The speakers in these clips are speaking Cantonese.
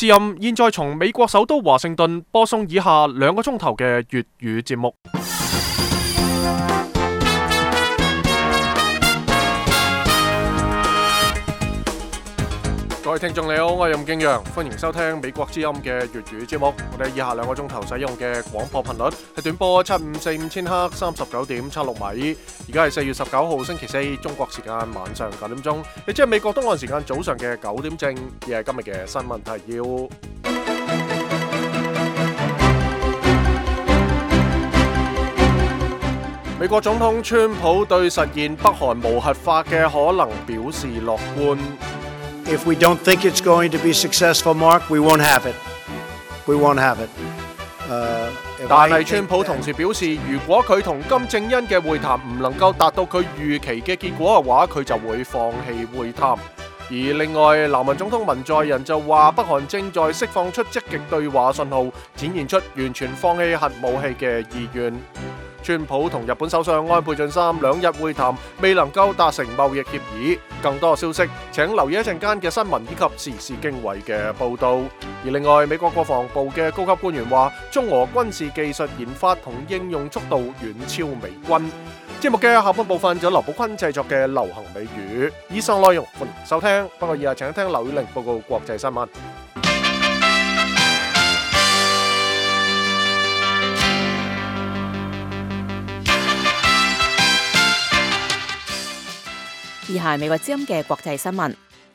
之音現在從美國首都華盛頓播送以下2個鐘頭嘅粵語節目。各位聽眾你好，我係任敬陽，歡迎收聽美國之音嘅粵語節目。我哋以下2個鐘頭使用嘅廣播頻率係短波7545千赫39.76米。而家係4月19號星期4，中國時間晚上9點鐘，亦即係美國東岸時間早上嘅9點正。而係今日嘅新聞提要。美國總統川普對實現北韓無核化嘅可能表示樂觀。If we don't think it's going to be successful, Mark, we won't have it. We won't have it. 但係川普同時表示，如果佢同金正恩嘅會談唔能夠達到佢預期嘅結果嘅話，佢就會放棄會談。而另外，南韓總統文在寅就話，北韓正在釋放出積極對話信號，展現出完全放棄核武器嘅意願。川普同日本首相安倍晉三2日會談未能夠達成貿易協議，更多消息請留意一陣間嘅新聞以及時事經緯嘅報導。而另外，美國國防部嘅高級官員話，中俄軍事技術研發同應用速度遠超美軍。節目嘅下半部分就劉寶坤製作嘅流行美語，以上內容歡迎收聽。不過以下請聽劉宇玲報告國際新聞。以下係美國之音嘅國際新聞。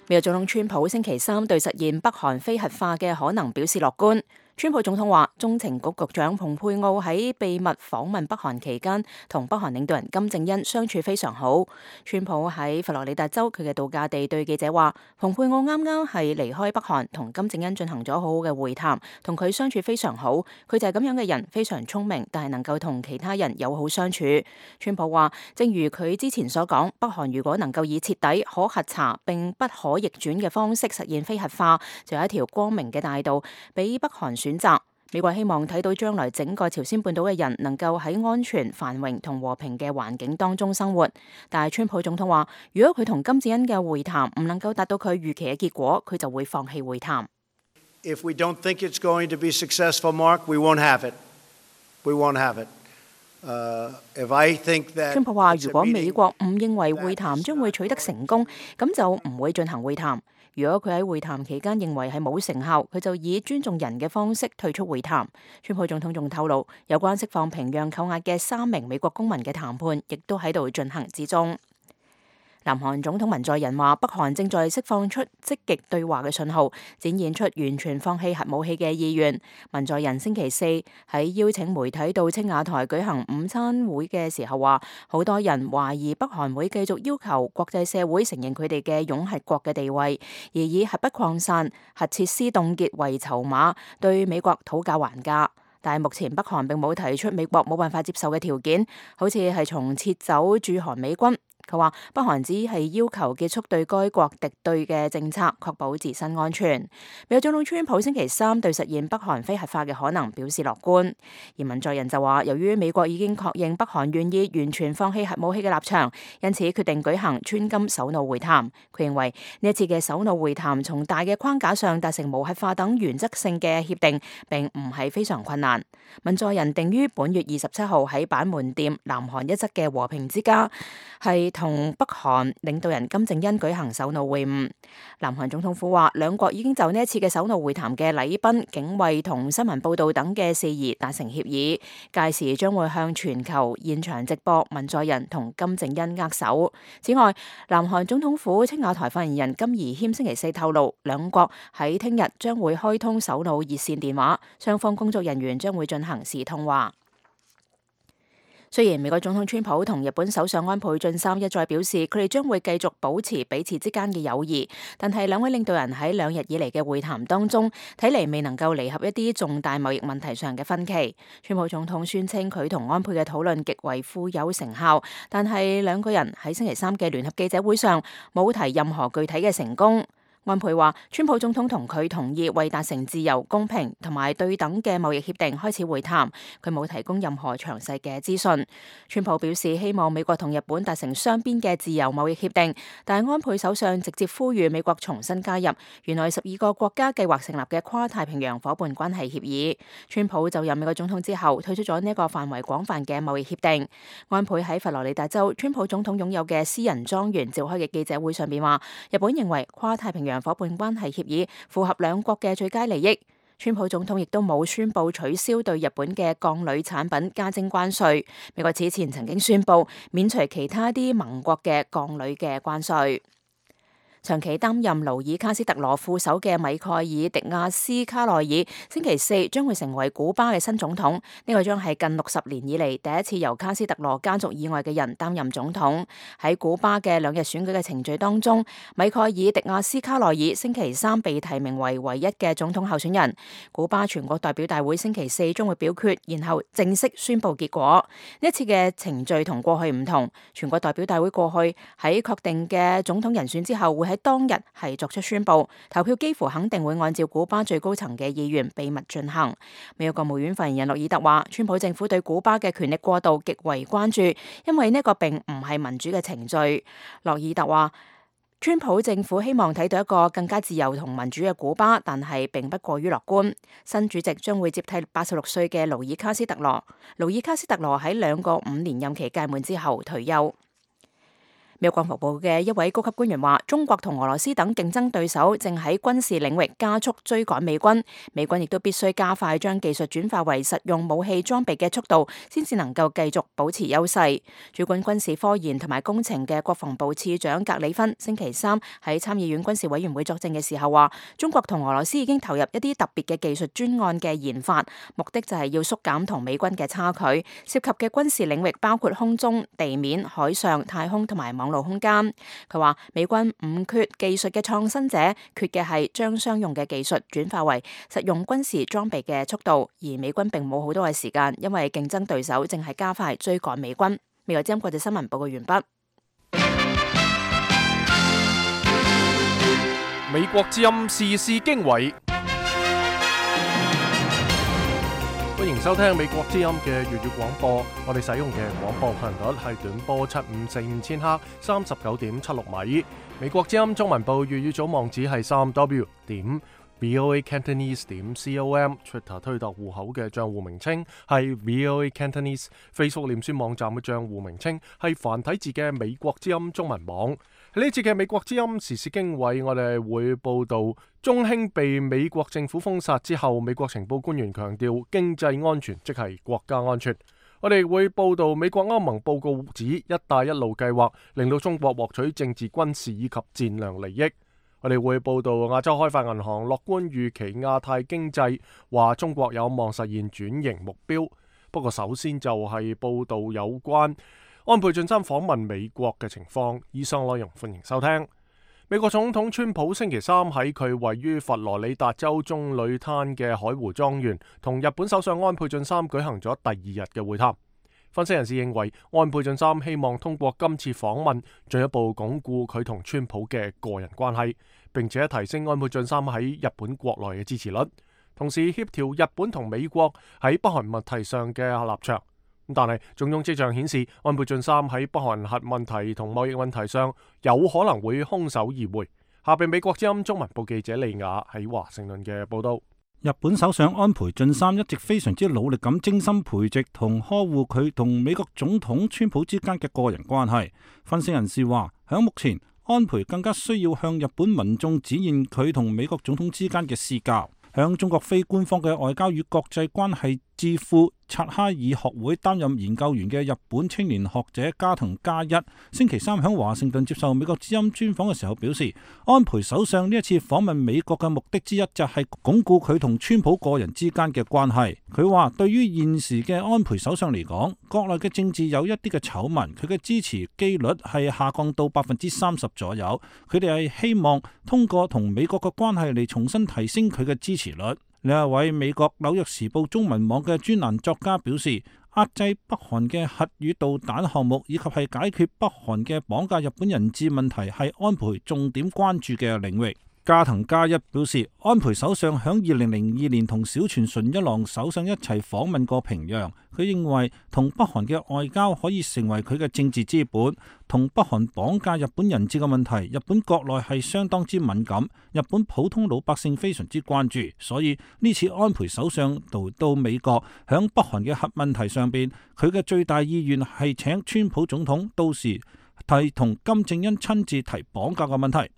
美國總統川普星期3對實現北韓非核化嘅可能表示樂觀。川普總統話，中情局局長蓬佩奧喺秘密訪問北韓期間，同北韓領導人金正恩相處非常好。川普喺佛羅里達州佢嘅度假地對記者話，蓬佩奧啱啱係離開北韓，同金正恩進行咗好好嘅會談，同佢相處非常好。佢就係咁樣嘅人，非常聰明，但係能夠同其他人友好相處。川普話，正如佢之前所講，北韓如果能夠以徹底、可核查並不可逆轉嘅方式實現非核化，就有一條光明嘅大道俾北韓選擇。美國希望睇到將來整個朝鮮半島嘅人能夠喺安全、繁榮同和平嘅環境當中生活。但係川普總統話，如果佢同金正恩嘅會談唔能夠達到佢預期嘅結果，佢就會放棄會談。If we don't think it's going to be successful, Mark, we won't have it. We won't have it. If I think that 川普話，如果美國唔認為會談將會取得成功，咁就唔會進行會談。如果佢喺會談期間認為係冇成效，佢就以尊重人嘅方式退出會談。川普總統仲透露，有關釋放平壤扣押嘅3名美國公民嘅談判，亦都喺度進行之中。南韓總統文在寅話，北韓正在釋放出積極對話嘅信號，展現出完全放棄核武器嘅意願。文在寅星期4喺邀請媒體到青瓦台舉行午餐會嘅時候話，好多人懷疑北韓會繼續要求國際社會承認佢哋嘅擁核國嘅地位，而以核不擴散、核設施凍結為籌碼，對美國討價還價。但係目前北韓並冇提出美國冇辦法接受嘅條件，好似係從撤走駐韓美軍。佢話北韓只係要求結束對該國敵對嘅政策，確保自身安全。美國總統川普星期3對實現北韓非核化嘅可能表示樂觀，而文在寅就話，由於美國已經確認北韓願意完全放棄核武器嘅立場，因此決定舉行川金首腦會談。佢認為呢一次嘅首腦會談從大嘅框架上達成無核化等原則性嘅協定，並唔係非常困難。文在寅定於本月27號喺板門店南韓一側嘅和平之家係同北韓領導人金正恩舉行首腦會晤。南韓總統府話，兩國已經就呢一次嘅首腦會談嘅禮賓、警衛同新聞報道等嘅事宜達成協議，屆時將會向全球現場直播文在寅同金正恩握手。此外，南韓總統府青瓦台發言人金宜謙星期4透露，兩國喺聽日將會開通首腦熱線電話，雙方工作人員將會進行視通話。雖然美國總統川普同日本首相安倍晉三一再表示佢哋將會繼續保持彼此之間嘅友誼，但係兩位領導人喺2日以嚟嘅會談當中，睇嚟未能夠彌合一啲重大貿易問題上嘅分歧。川普總統宣稱佢同安倍嘅討論極為富有成效，但係兩個人喺星期3嘅聯合記者會上冇提任何具體嘅成功。安倍話，川普總統同佢同意為達成自由、公平同埋對等嘅貿易協定開始會談，佢冇提供任何詳細嘅資訊。川普表示希望美國同日本達成雙邊嘅自由貿易協定，但係安倍首相直接呼籲美國重新加入原來12個國家計劃成立嘅跨太平洋夥伴關係協議。川普就任美國總統之後，退出咗呢一個範圍廣泛嘅貿易協定。安倍喺佛羅里達州川普總統擁有嘅私人莊園召開嘅記者會上邊話，日本認為跨太平洋夥伴關係協議符合兩國嘅最佳利益。川普總統亦都冇宣布取消對日本嘅鋼鋁產品加徵關稅。美國此前曾經宣布免除其他啲盟國嘅鋼鋁嘅關稅。長期擔任勞爾卡斯特羅副手嘅米蓋爾迪亞斯卡內爾星期四將會成為古巴嘅新總統，呢個將係近60年以嚟第一次由卡斯特羅家族以外嘅人擔任總統。喺古巴嘅2日選舉嘅程序當中，米蓋爾迪亞斯卡內爾星期三被提名為唯一嘅總統候選人。古巴全國代表大會星期四將會表決，然後正式宣布結果。呢一次嘅程序同過去唔同，全國代表大會過去喺確定嘅總統人選之後會喺當日係作出宣布，投票幾乎肯定會按照古巴最高層嘅意願秘密進行。美國國務院發言人諾爾特話，川普政府對古巴嘅權力過渡極為關注，因為呢個並唔係民主嘅程序。諾爾特話，川普政府希望睇到一個更加自由同民主嘅古巴，但係並不過於樂觀。新主席將會接替86歲嘅勞爾卡斯特羅。勞爾卡斯特羅喺2個5年任期屆滿之後退休。美國國防部嘅一位高級官員話，中國同俄羅斯等競爭對手正喺軍事領域加速追趕美軍，美軍亦都必須加快將技術轉化為實用武器裝備嘅速度，先至能夠繼續保持優勢。主管軍事科研同埋工程嘅國防部次長格里芬星期三喺參議院軍事委員會作證嘅時候話，中國同俄羅斯已經投入一啲特別嘅技術專案嘅研發，目的就係要縮減同美軍嘅差距，涉及嘅軍事領域包括空中、地面、海上、太空同埋網絡空間。佢話美軍唔缺技術嘅創新者，缺嘅係將商用嘅技術轉化為實用軍事裝備嘅速度，而美軍並冇好多嘅時間，因為競爭對手正係加快追趕美軍。美國之音國際新聞報告完畢。美國之音時事經緯。歡迎收聽美國之音嘅粵語廣播，我哋使用嘅廣播頻率係短波7545千赫39.76米。美國之音中文部粵語組網址係3w.voacantonese.com，Twitter 推特戶口嘅賬戶名稱係 VOA Cantonese，Facebook 臉書網站嘅賬戶名稱係繁體字嘅美國之音中文網。喺呢節嘅美國之音時事經緯，我哋會報道中興被美國政府封殺之後，美國情報官員強調經濟安全即係國家安全。我哋會報道美國歐盟報告指一帶一路計劃令到中國獲取政治、軍事以及戰略利益。我哋會報道亞洲開發銀行樂觀預期亞太經濟，話中國有望實現轉型目標。不過首先就係報道有關安倍晉三訪問美國嘅情況，以上內容歡迎收聽。美國總統川普星期三喺佢位於佛羅里達州棕櫚灘嘅海湖莊園，同日本首相安倍晉三舉行咗第2日嘅會談。分析人士認為，安倍晉三希望通過今次訪問，進一步鞏固佢同川普嘅個人關係，並且提升安倍晉三喺日本國內嘅支持率，同時協調日本同美國喺北韓問題上嘅立場。但係種種跡象顯示，安倍晉三喺北韓核問題同貿易問題上有可能會空手而回。下邊美國之音中文部記者利亞喺華盛頓嘅報道。日本首相安倍晉三一直非常之努力咁精心培植同呵護佢同美國總統川普之間嘅個人關係。分析人士話，響目前，安倍更加需要向日本民眾展現佢同美國總統之間嘅私交。響中國非官方嘅外交與國際關係智庫察哈爾學會擔任研究員嘅日本青年學者加藤嘉一星期三響華盛頓接受美國之音專訪嘅時候表示，安倍首相呢一次訪問美國嘅目的之一就係鞏固佢同川普個人之間嘅關係。佢話對於現時嘅安倍首相嚟講，國內嘅政治有一啲嘅醜聞，佢嘅支持機率係下降到30%左右。佢哋係希望通過同美國嘅關係嚟重新提升佢嘅支持率。另一位美國紐約時報中文網嘅專欄作家表示，壓制北韓嘅核與導彈項目，以及係解決北韓嘅綁架日本人質問題，係安倍重點關注嘅領域。加藤加一表示，安倍首相響2002年同小泉純一郎首相一齊訪問過平壤。佢認為同北韓嘅外交可以成為佢嘅政治資本。同北韓綁架日本人質嘅問題，日本國內係相當之敏感，日本普通老百姓非常之關注。所以呢次安倍首相到美國，響北韓嘅核問題上邊，佢嘅最大意願係請川普總統到時提同金正恩親自提綁架嘅問題。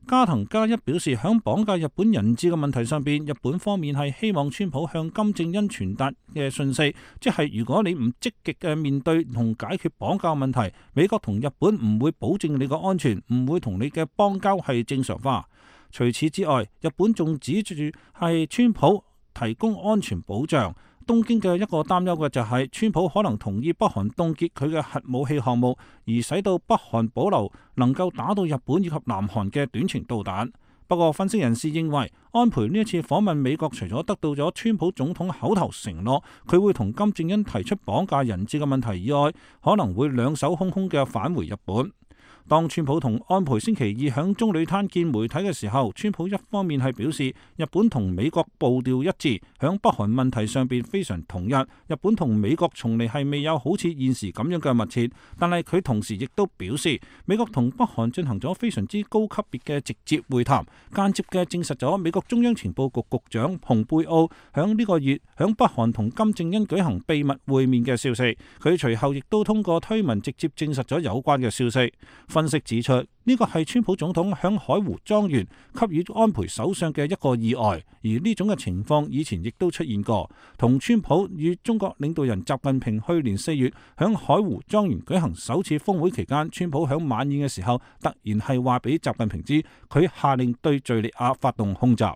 加藤加一表示，響綁架日本人質嘅問題上邊，日本方面係希望川普向金正恩傳達嘅訊息，即係如果你唔積極嘅面對同解決綁架問題，美國同日本唔會保證你嘅安全，唔會同你嘅邦交係正常化。除此之外，日本仲指住係川普提供安全保障。東京嘅一個擔憂嘅就係川普可能同意北韓凍結佢嘅核武器項目，而使到北韓保留能夠打到日本以及南韓嘅短程導彈。不過分析人士認為，安倍呢一次訪問美國，除咗得到咗川普總統口頭承諾佢會同金正恩提出綁架人質嘅問題以外，可能會兩手空空嘅返回日本。當川普同安倍星期二響棕櫚灘見媒體嘅時候，川普一方面係表示日本同美國步調一致，響北韓問題上邊非常統一，日本同美國從嚟係未有好似現時咁樣嘅密切。但係佢同時亦都表示，美國同北韓進行咗非常之高級別嘅直接會談，間接嘅證實咗美國中央情報局局長蓬佩奧響呢個月響北韓同金正恩舉行秘密會面嘅消息。佢隨後亦都通過推文直接證實咗有關嘅消息。分析指出，呢個係川普總統響海湖莊園給予安倍首相嘅一個意外，而呢種嘅情況以前亦都出現過。同川普與中國領導人習近平去年4月響海湖莊園舉行首次峰會期間，川普響晚宴嘅時候突然係話俾習近平知，佢下令對敘利亞發動空襲。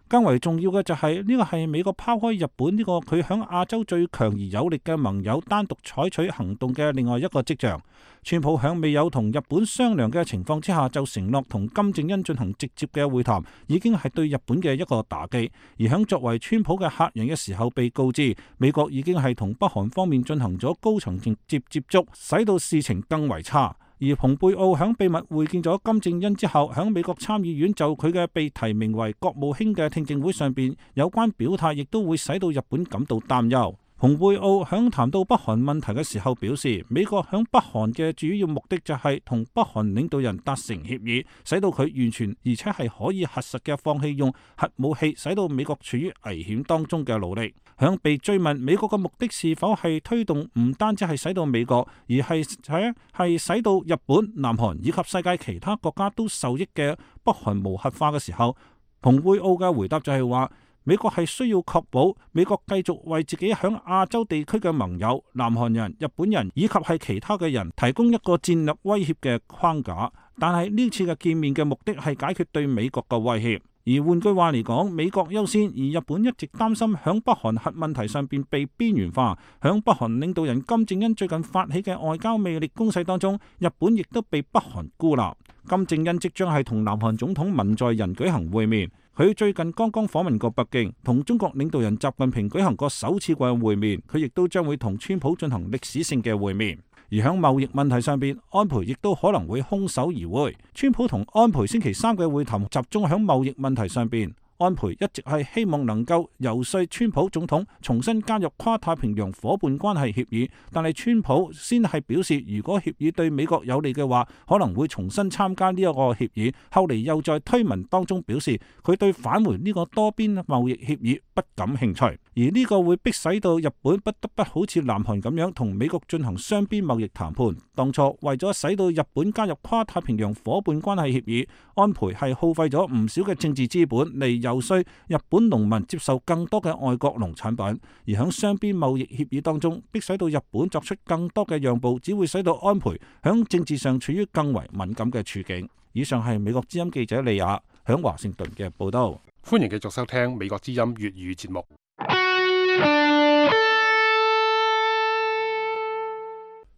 更為重要嘅就係呢個係美國拋開日本呢個佢響亞洲最強而有力嘅盟友單獨採取行動嘅另外一個跡象。川普響未有同日本商量嘅情況之下就承諾同金正恩進行直接嘅會談，已經係對日本嘅一個打擊。而響作為川普嘅客人嘅時候被告知美國已經係同北韓方面進行咗高層直接接觸，使到事情更為差。而蓬佩奧響秘密會見咗金正恩之後，響美國參議院就佢嘅被提名為國務卿嘅聽證會上邊有關表態，亦都會使到日本感到擔憂。蓬佩奧響談到北韓問題嘅時候表示，美國響北韓嘅主要目的就係同北韓領導人達成協議，使到佢完全而且係可以核實嘅放棄用核武器，使到美國處於危險當中嘅努力。響被追問美國嘅目的是否係推動唔單止係使到美國，而係使到日本、南韓以及世界其他國家都受益嘅北韓無核化嘅時候，蓬佩奧嘅回答就係話，美國係需要確保美國繼續為自己響亞洲地區嘅盟友、南韓人、日本人以及係其他嘅人提供一個戰略威脅嘅框架。但係呢次嘅見面嘅目的係解決對美國嘅威脅。而換句話嚟講，美國優先，而日本一直擔心響北韓核問題上邊被邊緣化。響北韓領導人金正恩最近發起嘅外交魅力攻勢當中，日本亦都被北韓孤立。金正恩即將係同南韓總統文在寅舉行會面，佢最近剛剛訪問過北京，同中國領導人習近平舉行過首次嘅會面，佢亦都將會同川普進行歷史性嘅會面。而喺貿易問題上邊，安倍亦都可能會空手而回。川普同安倍星期三嘅會談集中喺貿易問題上邊。安倍一直係希望能夠游說川普總統重新加入跨太平洋夥伴關係協議，但係川普先係表示，如果協議對美國有利嘅話，可能會重新參加呢一個協議。後嚟又在推文當中表示，佢對返回呢個多邊貿易協議不感興趣，而呢個會迫使到日本不得不好似南韓咁樣同美國進行雙邊貿易談判。當初為咗使到日本加入跨太平洋夥伴關係協議，安倍係耗費咗唔少嘅政治資本嚟游說日本農民接受更多嘅外國農產品，而喺雙邊貿易協議當中，迫使到日本作出更多嘅讓步，只會使到安倍喺政治上處於更為敏感嘅處境。以上係美國之音記者利亞喺華盛頓嘅報道。歡迎繼續收聽美國之音粵語節目。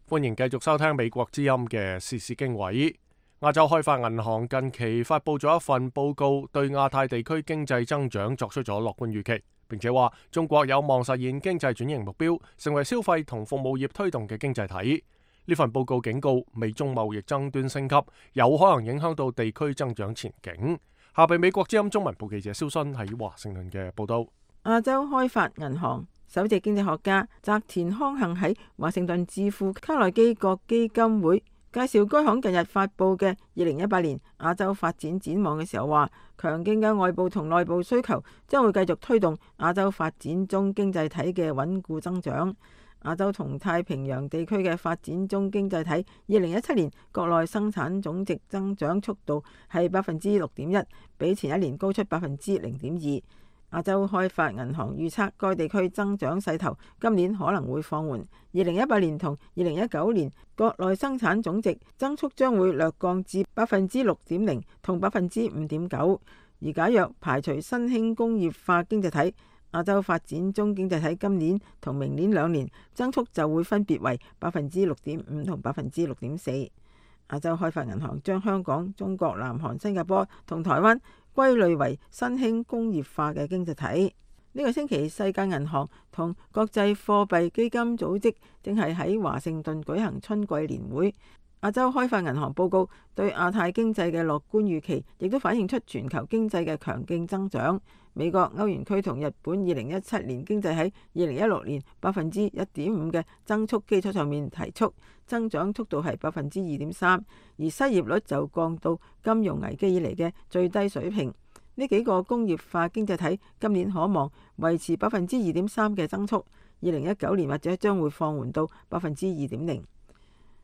歡迎繼續收聽美國之音嘅時事經緯。亞洲開發銀行近期發佈咗一份報告，對亞太地區經濟增長作出咗樂觀預期，並且話中國有望實現經濟轉型目標，成為消費同服務業推動嘅經濟體。呢份報告警告，美中貿易爭端升級有可能影響到地區增長前景。下被美國之音中文部記者蕭新喺華盛頓嘅報道。亞洲開發銀行首席經濟學家澤田康幸喺華盛頓智庫卡內基國基金會介紹該行近日發布嘅2018年亞洲發展展望嘅時候話，強勁嘅外部同內部需求將會繼續推動亞洲發展中經濟體嘅穩固增長。亞洲同太平洋地區嘅發展中經濟體2017年國內生產總值增長速度係6.1%，比前一年高出0.2%。亞洲開發銀行預測該地區增長勢頭今年可能會放緩，2018年同2019年國內生產總值增速將會略降至6.0%同5.9%。而假若排除新興工業化經濟體，亞洲發展中經濟體今年同明年2年增速就會分別為6.5%同6.4%。亞洲開發銀行將香港、中國、南韓、新加坡同台灣歸類為新興工業化嘅經濟體。呢個星期，世界銀行同國際貨幣基金組織正係喺華盛頓舉行春季年會。亞洲開發銀行報告對亞太經濟嘅樂觀預期，亦都反映出全球經濟嘅強勁增長。美國、歐元區同日本2017年經濟喺2016年1.5%嘅增速基礎上面提速，增長速度係2.3%，而失業率就降到金融危機以嚟嘅最低水平。呢幾個工業化經濟體今年可望維持2.3%嘅增速，2019年或者將會放緩到2.0%。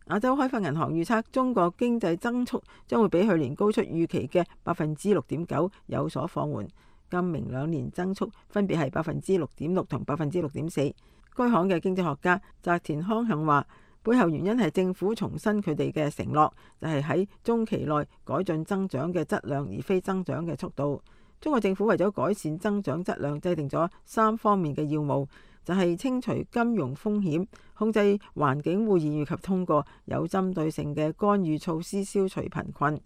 亞洲開發銀行預測中國經濟增速將會比去年高出預期嘅6.9%有所放緩，今明2年增速分別係6.6%同6.4%。該行嘅經濟學家澤田康幸話，背後原因係政府重申佢哋嘅承諾，就係喺中期內改進增長嘅質量，而非增長嘅速度。中國政府為咗改善增長質量，制定咗3方面嘅要務，就係清除金融風險、控制環境污染以及通過有針對性嘅干預措施消除貧困。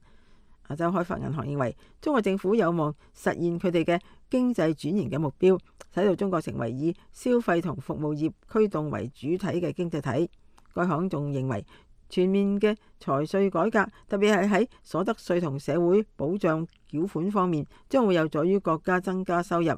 亞洲開發銀行認為，中國政府有望實現佢哋嘅經濟轉型嘅目標，使到中國成為以消費同服務業驅動為主體嘅經濟體。該行仲認為，全面嘅財稅改革，特別係喺所得稅同社會保障繳款方面，將會有助於國家增加收入，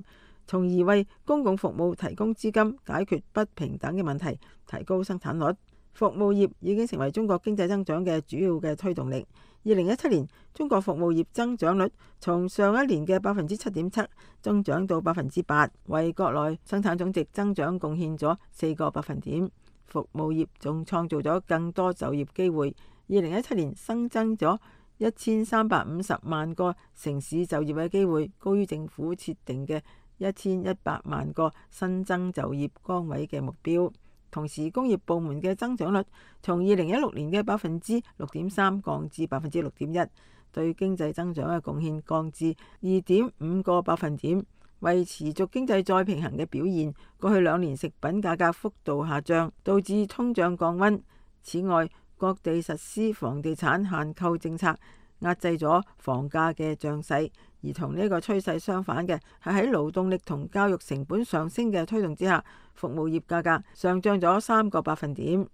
從而為公共服務提供資金，解決不平等嘅問題，提高生產率。服務業已經成為中國經濟增長嘅主要嘅推動力。2017年，中國服務業增長率從上一年嘅7.7%增長到8%，為國內生產總值增長貢獻咗4個百分點。服務業仲創造咗更多就業機會。2017年新增咗1350萬個城市就業嘅機會，高於政府設定嘅1100萬個新增就業崗位嘅目標。同時，工業部門嘅增長率從2016年嘅6.3%降至6.1%，對經濟增長嘅貢獻降至2.5個百分點。為持續經濟再平衡嘅表現，過去2年食品價格幅度下降，導致通脹降溫。此外，各地實施房地產限購政策，壓制咗房價嘅漲勢。而同呢個趨勢相反嘅係喺勞動力同教育成本上升嘅推動之下，服務業價格上漲咗3個百分點。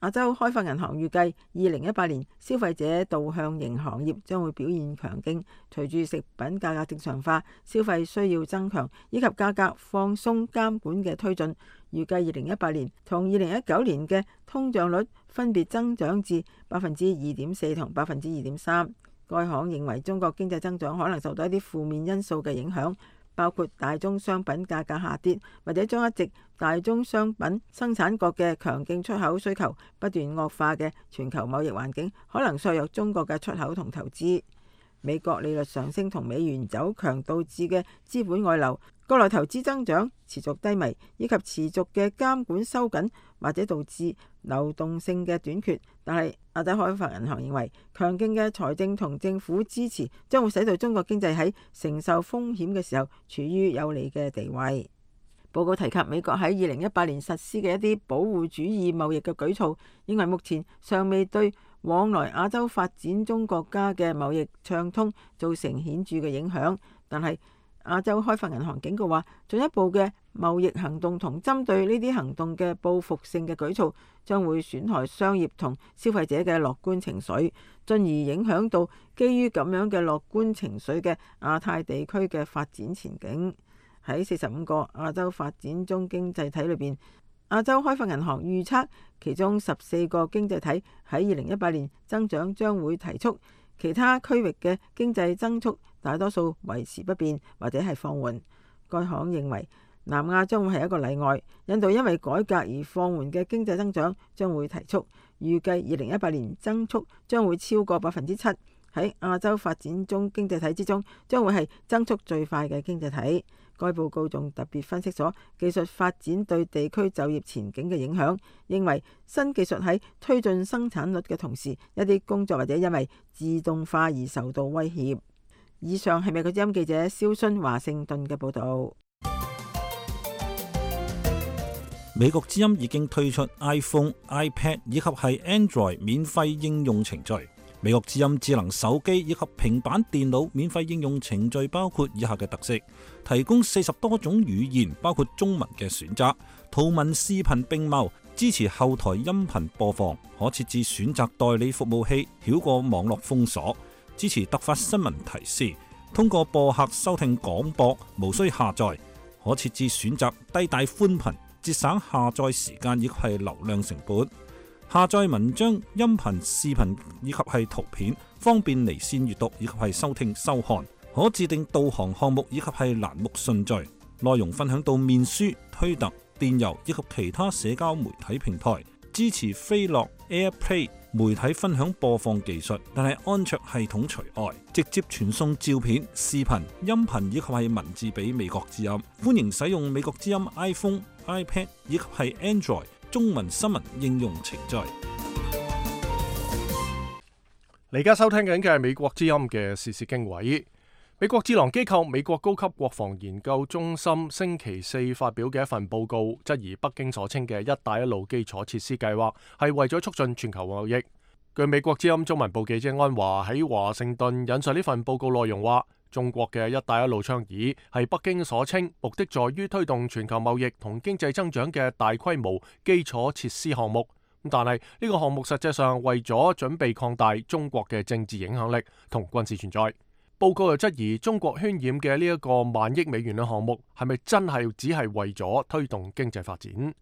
亞洲開發銀行預計2018年消費者導向型行業將會表現強勁，隨住食品價格正常化、消費需要增強以及價格放鬆監管嘅推進，預計2018年同2019年嘅通脹率分別增長至2.4%同2.3%。該行認為中國經濟增長可能受到一啲負面因素嘅影響，包括大宗商品價格下跌，或者將一直大宗商品生產國嘅強勁出口需求不斷惡化嘅全球貿易環境，可能削弱中國嘅出口同投資。美國利率上升同美元走強導致嘅資本外流，國內投資增長持續低迷，以及持續嘅監管收緊，或者導致流動性嘅短缺。但係亞洲開發銀行認為，強勁嘅財政同政府支持將會使到中國經濟喺承受風險嘅時候處於有利嘅地位。報告提及美國喺2018年實施嘅一啲保護主義貿易嘅舉措，認為目前尚未對往來亞洲發展中國家嘅貿易暢通造成顯著嘅影響。但係亞洲開發銀行警告話，進一步嘅貿易行動同針對呢啲行動嘅報復性嘅舉措，將會損害商業同消費者嘅樂觀情緒，進而影響到基於咁樣嘅樂觀情緒嘅亞太地區嘅發展前景。喺45個亞洲發展中經濟體裏邊，亞洲開發銀行預測其中14個經濟體喺2018年增長將會提速，其他區域嘅經濟增速大多數維持不變或者係放緩。該行認為南亞將會係一個例外，印度因為改革而放緩嘅經濟增長將會提速，預計2018年增速將會超過7%，喺亞洲發展中經濟體之中將會係增速最快嘅經濟體。該報告仲特別分析咗技術發展對地區就業前景嘅影響，認為新技術喺推進生產率嘅同時，一啲工作或者因為自動化而受到威脅。以上係美國之音記者蕭薰華盛頓嘅報導。美國之音已經推出 iPhone、iPad 以及係 Android 免費應用程序。美國之音智能手機以及平板電腦免費應用程序包括以下嘅特色：提供40多種語言，包括中文嘅選擇，圖文視頻並茂，支持後台音頻播放，可設置選擇代理服務器，繞過網絡封鎖，支持突發新聞提示，通過播客收聽廣播，無需下載，可設置選擇低帶寬頻，節省下載時間以及係流量成本。下載文章、音頻、視頻以及係圖片，方便離線閱讀以及係收聽收看。可自定導航項目以及係欄目順序。內容分享到面書、推特、電郵以及其他社交媒體平台。支持飛樂 AirPlay 媒體分享播放技術，但係安卓系統除外。直接傳送照片、視頻、音頻以及係文字俾美國之音。歡迎使用美國之音 iPhone、iPad 以及係 Android中文新聞應用程序。你而家收聽緊嘅係美國之音嘅時事經緯。美國智囊機構美國高級國防研究中心星期四發表嘅一份報告，質疑北京所稱嘅一帶一路基礎設施計劃係為咗促進全球貿易。據美國之音中文部記者安華喺華盛頓引述呢份報告內容話，中國嘅一帶一路倡議係北京所稱目的在於推動全球貿易同經濟增長嘅大規模基礎設施項目。但係呢個項目實際上為咗準備擴大中國嘅政治影響力同軍事存在。報告又質疑中國渲染嘅呢一個1萬億美元嘅項目係咪真係只係為咗推動經濟發展？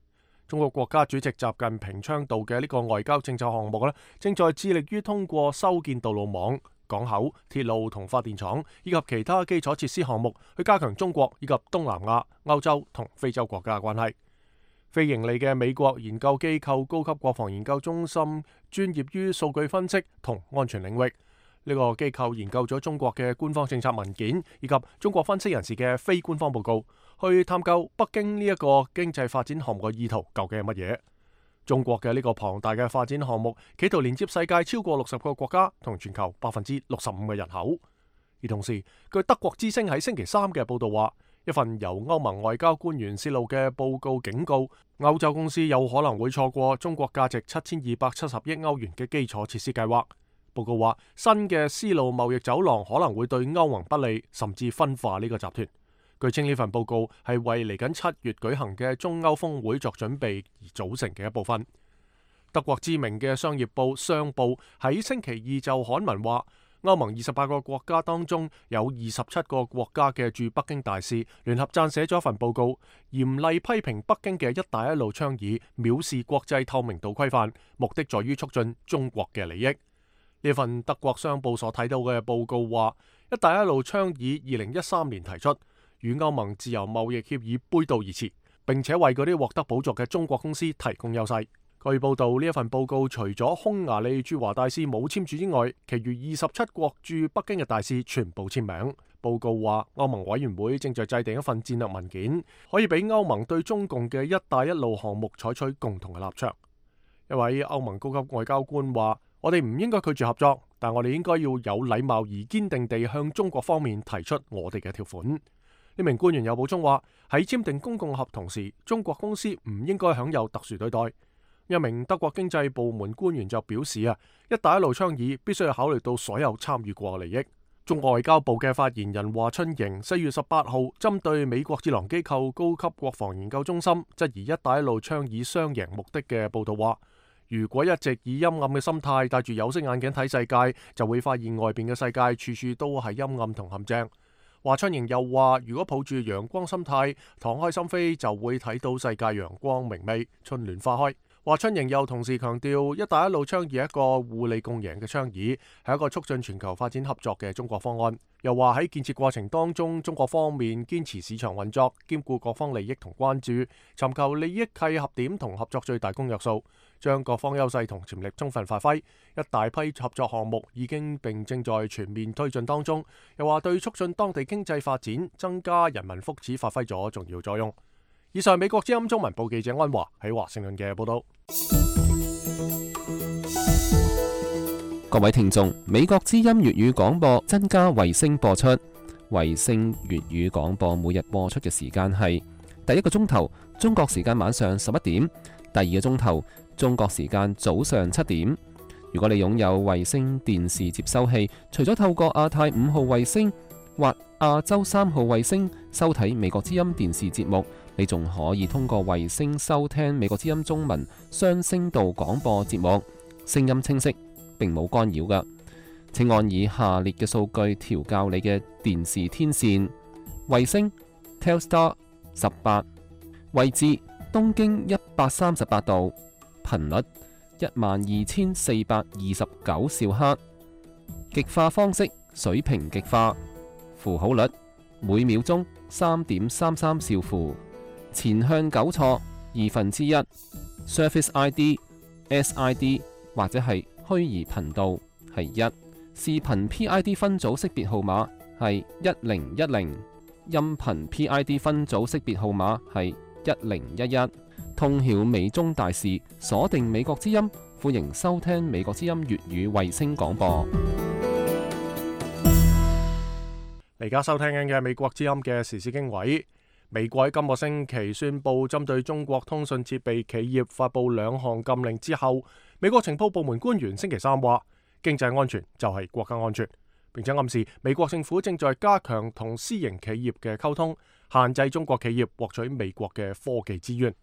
中國國家主席習近平倡導嘅呢個外交政策項目呢，正在致力於通過修建道路網、港口、鐵路同發電廠以及其他基礎設施項目，去加強中國以及東南亞、歐洲同非洲國家嘅關係。非盈利嘅美國研究機構高級國防研究中心專業於數據分析同安全領域。呢個機構研究咗中國嘅官方政策文件以及中國分析人士嘅非官方報告，去探究北京呢一個經濟發展項目嘅意圖究竟係乜嘢。中國嘅呢個龐大嘅發展項目，企圖連接世界超過60個國家同全球65%嘅人口。而同時，據德國之聲喺星期三嘅報道話，一份由歐盟外交官員泄露嘅報告警告，歐洲公司有可能會錯過中國價值7270億歐元嘅基礎設施計劃。報告話，新嘅絲路貿易走廊可能會對歐盟不利，甚至分化呢個集團。據稱呢份報告係為嚟緊7月舉行嘅中歐峰會作準備而組成嘅一部分。德國知名嘅商業報商報喺星期二就刊文話，歐盟28個國家當中有27個國家嘅駐北京大使聯合撰寫咗一份報告，嚴厲批評北京嘅一帶一路倡議藐視國際透明度規範，目的在於促進中國嘅利益。呢份德國商報所睇到嘅報告話，一帶一路倡議2013年提出，與歐盟自由貿易協議背道而馳，並且為嗰啲獲得補助嘅中國公司提供優勢。據報道，呢一份報告除咗匈牙利駐華大使冇簽署之外，其餘27國駐北京嘅大使全部簽名。報告話，歐盟委員會正在制定一份戰略文件，可以俾歐盟對中共嘅一帶一路項目採取共同嘅立場。一位歐盟高級外交官話，我哋唔應該拒絕合作，但我哋應該要有禮貌而堅定地向中國方面提出我哋嘅條款。呢名官員又補充話，喺簽訂公共合同時，中國公司唔應該享有特殊對待。一名德國經濟部門官員就表示一帶一路倡議必須要考慮到所有參與過嘅利益。中國外交部嘅發言人華春瑩4月18號針對美國智囊機構高級國防研究中心質疑一帶一路倡議雙贏目的嘅報道話，如果一直以陰暗嘅心態戴住有色眼鏡睇世界，就會發現外邊嘅世界處處都係陰暗同陷阱。華春瑩又話，如果抱住陽光心態敞開心扉，就會睇到世界陽光明媚，春暖花開。華春瑩又同時強調，一帶一路倡議係一個互利共贏嘅倡議，係一個促進全球發展合作嘅中國方案。又話喺建設過程當中，中國方面堅持市場運作，兼顧各方利益同關注，尋求利益契合點同合作最大公約數，將各方優勢同潛力充分發揮。一大批合作項目已經並正在全面推進當中。又話對促進當地經濟發展、增加人民福祉發揮咗重要作用。以上美國之音中文部記者安華喺華盛頓嘅報道。各位聽眾，美國之音粵語廣播增加衛星播出。衛星粵語廣播每日播出嘅時間係第一個鐘頭中國時間晚上11點，第二個鐘頭中國時間早上7點。如果你擁有衛星電視接收器，除咗透過亞太5號衛星或亞洲3號衛星收睇美國之音電視節目，你仲可以通過衛星收聽美國之音中文雙聲道廣播節目，聲音清晰，並冇干擾㗎。請按以下列嘅數據調校你嘅電視天線：衛星 Telstar 18，位置東經138度，頻率12429兆赫，極化方式水平極化，符號率每秒鐘3.33兆符，前向糾錯1/2， Surface ID、SID 或者係虛擬頻道係1，視頻 PID 分組識別號碼係1010，音頻 PID 分組識別號碼係1011。通曉美中大事，鎖定美國之音，歡迎收聽美國之音粵語衛星廣播。而家收聽緊嘅美國之音嘅時事經緯，美國喺今個星期宣布針對中國通訊設備企業發布2項禁令之後，美國情報部門官員星期3話，經濟安全就係國家安全，並且暗示美國政府正在加強同私營企業嘅溝通，限制中國企業獲取美國嘅科技資源。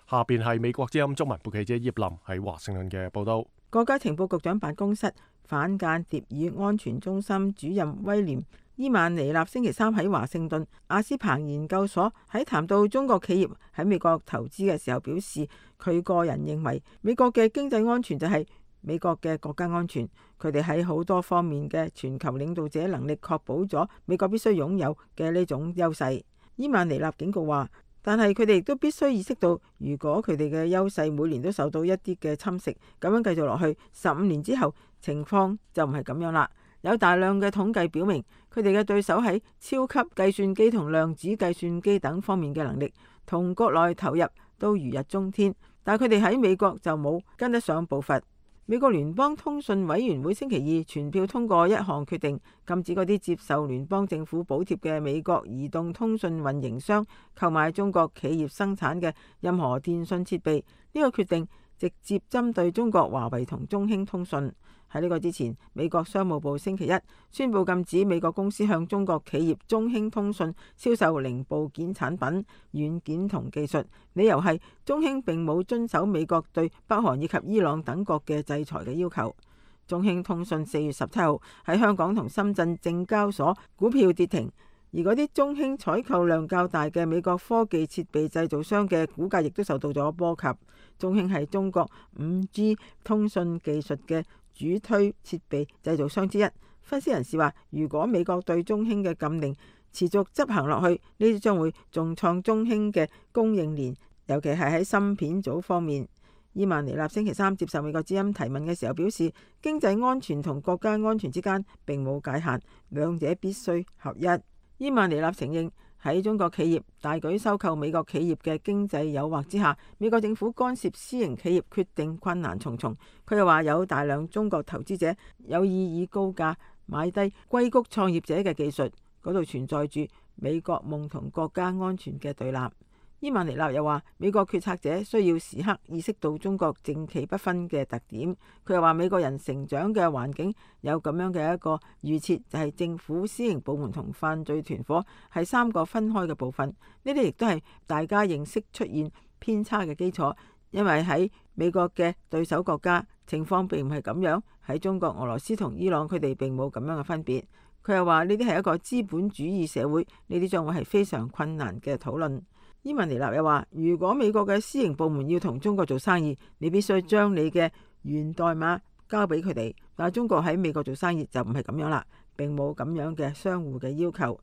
下邊係美國之音中文部記者葉林喺華盛頓嘅報道。國家情報局長辦公室反間諜與安全中心主任威廉伊曼尼納星期3喺華盛頓阿斯彭研究所喺談到中國企業喺美國投資嘅時候表示，佢個人認為美國嘅經濟安全就係美國嘅國家安全，佢哋喺好多方面嘅全球領導者能力確保咗美國必須擁有嘅呢種優勢。伊曼尼納警告話，但係佢哋亦都必須意識到，如果佢哋嘅優勢每年都受到一啲嘅侵蝕，咁樣繼續落去，15年之後情況就唔係咁樣啦。有大量嘅統計表明，佢哋嘅對手喺超級計算機同量子計算機等方面嘅能力同國內投入都如日中天，但係佢哋喺美國就冇跟得上步伐。美國聯邦通訊委員會星期2全票通過一項決定，禁止嗰啲接受聯邦政府補貼嘅美國移動通訊運營商購買中國企業生產嘅任何電信設備。呢個決定直接針對中國華為同中興通訊。喺呢個之前，美國商務部星期1宣布禁止美國公司向中國企業中興通訊銷售零部件產品、軟件同技術，理由係中興並冇遵守美國對北韓以及伊朗等國嘅制裁嘅要求。中興通訊4月17號喺香港同深圳證交所股票跌停，而嗰啲中興採購量較大嘅美國科技設備製造商嘅股價亦都受到咗波及。中興係中國 5G 通訊技術嘅主推設備製造商之一。分析人士話，如果美國對中興嘅禁令持續執行落去，呢啲將會重創中興嘅供應鏈，尤其係喺芯片組方面。伊曼尼納星期3接受美國之音提問嘅時候表示，經濟安全同國家安全之間並冇界限，兩者必須合一。伊曼尼納承認喺中國企業大舉收購美國企業嘅經濟誘惑之下，美國政府干涉私營企業決定困難重重。佢又話有大量中國投資者有意以高價買低硅谷創業者嘅技術，嗰度存在住美國夢同國家安全嘅對立。伊曼尼納又話，美國決策者需要時刻意識到中國正奇不分嘅特點。佢又話，美國人成長嘅環境有咁樣嘅一個預設，就係政府、私營部門同犯罪團伙係三個分開嘅部分。呢啲亦都係大家認識出現偏差嘅基礎，因為喺美國嘅對手國家情況並唔係咁樣，喺中國、俄羅斯同伊朗佢哋並冇咁樣嘅分別。佢又話，呢啲係一個資本主義社會，呢啲將會係非常困難嘅討論。伊文尼納又話，如果美國嘅私營部門要同中國做生意，你必須將你嘅源代碼交俾佢哋。但係中國喺美國做生意就唔係咁樣啦，並冇咁樣嘅相互嘅要求。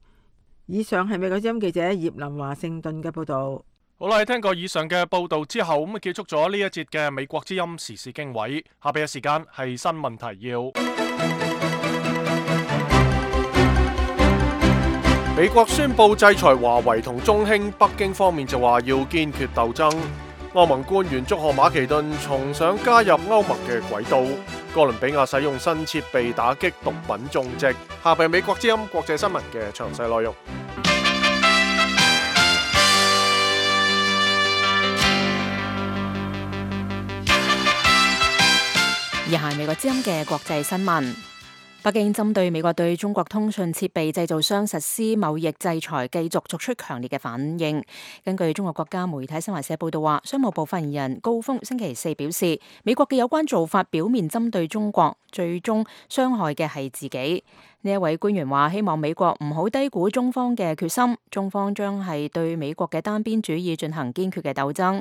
以上係美國之音記者葉林華盛頓嘅報道。好啦，聽過以上嘅報道之後，咁結束咗呢一節嘅美國之音時事經緯。下邊嘅時間係新聞提要。美國宣布制裁華為同中興，北京方面就話要堅決鬥爭。歐盟官員祝賀馬其頓重上加入歐盟嘅軌道。哥倫比亞使用新設備打擊毒品種植。下邊美國之音國際新聞嘅詳細內容。以下係美國之音嘅國際新聞。北京針對美國對中國通訊設備製造商實施貿易制裁，繼續作出強烈嘅反應。根據中國國家媒體新華社報道話，商務部發言人高峰星期四表示，美國嘅有關做法表面針對中國，最終傷害嘅係自己。呢一位官員話，希望美國唔好低估中方嘅決心，中方將係對美國嘅單邊主義進行堅決嘅鬥爭。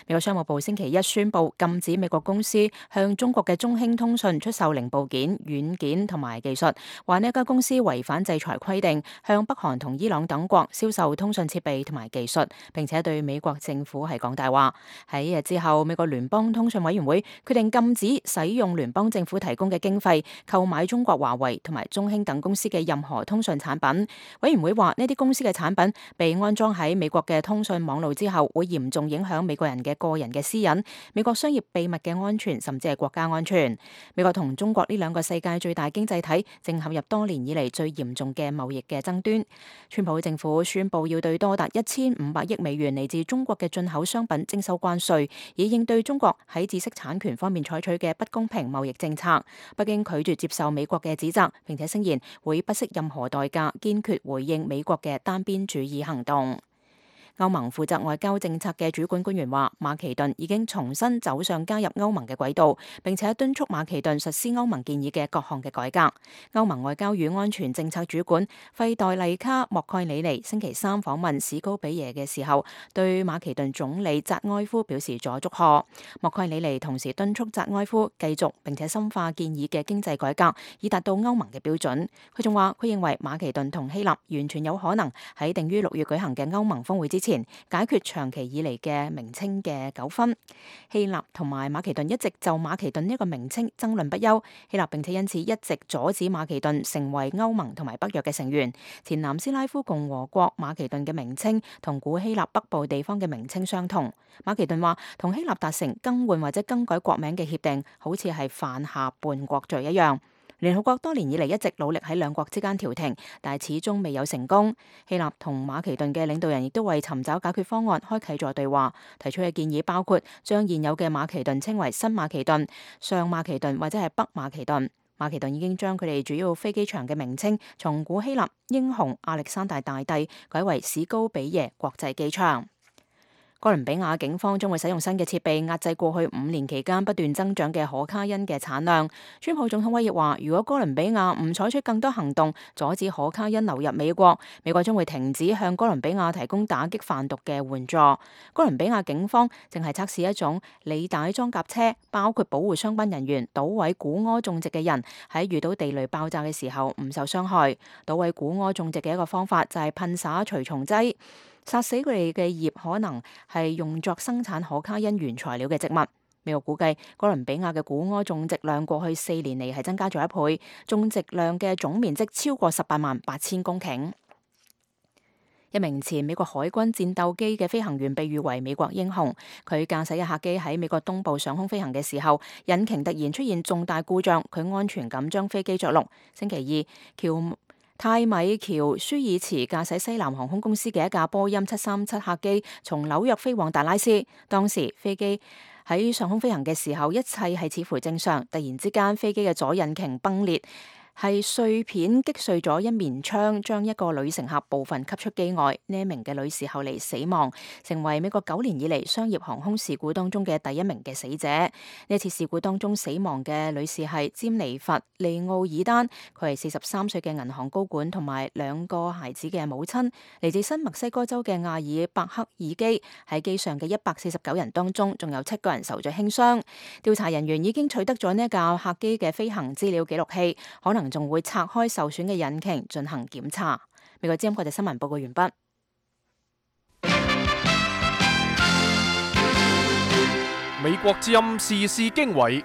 美國商務部星期一宣布禁止美國公司向中國嘅中興通訊出售零部件、軟件同埋技術，話呢一家公司違反制裁規定，向北韓同伊朗等國銷售通訊設備同埋技術，並且對美國政府係講大話。喺一日之後，美國聯邦通訊委員會決定禁止使用聯邦政府提供嘅經費購買中國華為同埋中興等公司嘅任何通訊產品。委員會話，呢啲公司嘅產品被安裝喺美國嘅通訊網路之後，會嚴重影響美國人嘅個人嘅私隱、美國商業秘密嘅安全，甚至係國家安全。美國同中國呢兩個世界最大經濟體正陷入多年以嚟最嚴重嘅貿易嘅爭端。川普政府宣布要對多達1500億美元嚟自中國嘅進口商品徵收關稅，以應對中國喺知識產權方面採取嘅不公平貿易政策。北京拒絕接受美國嘅指責，並且聲言會不惜任何代價，堅決回應美國嘅單邊主義行動。歐盟負責外交政策嘅主管官員話，馬其頓已經重新走上加入歐盟嘅軌道，並且敦促馬其頓實施歐盟建議嘅各項嘅改革。歐盟外交與安全政策主管費代麗卡莫蓋里尼星期三訪問史高比耶嘅時候，對馬其頓總理扎埃夫表示咗祝賀。莫蓋里尼同時敦促扎埃夫繼續並且深化建議嘅經濟改革，以達到歐盟嘅標準。佢仲話，佢認為馬其頓同希臘完全有可能喺定於6月舉行嘅歐盟峰會之前解決長期以嚟嘅名稱嘅糾紛。希臘同埋馬其頓一直就馬其頓呢個名稱爭論不休，希臘並且因此一直阻止馬其頓成為歐盟同埋北約嘅成員。前南斯拉夫共和國馬其頓嘅名稱同古希臘北部地方嘅名稱相同。馬其頓話，同希臘達成更換或者更改國名嘅協定，好似係犯下叛國罪一樣。聯合國多年以嚟一直努力喺兩國之間調停，但係始終未有成功。希臘同馬其頓嘅領導人亦都為尋找解決方案開啟咗對話，提出嘅建議包括將現有嘅馬其頓稱為新馬其頓、上馬其頓或者係北馬其頓。馬其頓已經將佢哋主要飛機場嘅名稱從古希臘英雄亞歷山大大帝改為史高比耶國際機場。哥倫比亞警方將會使用新嘅設備壓制過去5年期間不斷增長嘅可卡因嘅產量。川普總統威脅話，如果哥倫比亞唔採取更多行動阻止可卡因流入美國，美國將會停止向哥倫比亞提供打擊販毒嘅援助。哥倫比亞警方正係測試一種履帶裝甲車，包括保護相關人員、搗毀古柯種植嘅人喺遇到地雷爆炸嘅時候唔受傷害。搗毀古柯種植嘅一個方法就係噴灑除蟲劑，殺死佢哋嘅葉可能係用作生產可卡因原材料嘅植物。美國估計哥倫比亞嘅古柯種植量過去4年嚟係增加咗1倍，種植量嘅總面積超過188000公頃。一名前美國海軍戰鬥機嘅飛行員被譽為美國英雄。佢駕駛嘅客機喺美國東部上空飛行嘅時候，引擎突然出現重大故障，佢安全咁將飛機着陸。星期二，喬泰米喬舒爾茨駕駛西南航空公司嘅一架波音737客機從紐約飛往達拉斯，當時飛機喺上空飛行嘅時候，一切係似乎正常。突然之間，飛機嘅左引擎崩裂，係碎片擊碎咗一面窗，將一個女乘客部分吸出機外。呢一名嘅女士後嚟死亡，成為美國9年以嚟商業航空事故當中嘅第一名嘅死者。呢次事故當中死亡嘅女士係詹妮弗·利奧爾丹，佢係43歲嘅銀行高管同埋2個孩子嘅母親，嚟自新墨西哥州嘅亞爾伯克爾基。喺機上嘅149人當中，仲有7個人受咗輕傷。調查人員已經取得咗呢架客機嘅飛行資料記錄器，可能仲會拆開受損嘅引擎進行檢查。美國之音國際新聞報告完畢。美國之音時事經緯。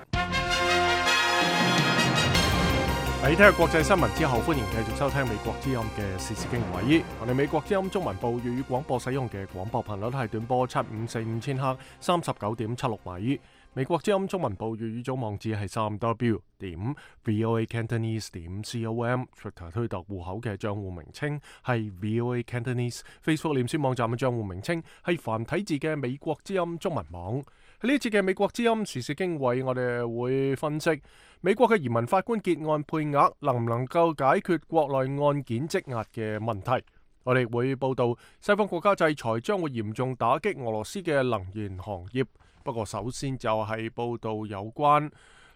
喺聽日國際新聞之後，歡迎繼續收聽美國之音嘅時事經緯。我哋美國之音中文部粵語廣播使用嘅廣播頻率係短波7545千赫39.76米。美國之音中文部粵語組網址係3w.voacantonese.com，Twitter 推特戶口嘅賬戶名稱係 VOA Cantonese，Facebook 臉書網站嘅賬戶名稱係繁體字嘅美國之音中文網。喺呢一節嘅美國之音時事經緯，我哋會分析美國嘅移民法官結案配額能唔能夠解決國內案件積壓嘅問題。我哋會報道西方國家制裁將會嚴重打擊俄羅斯嘅能源行業。不過首先就係報道有關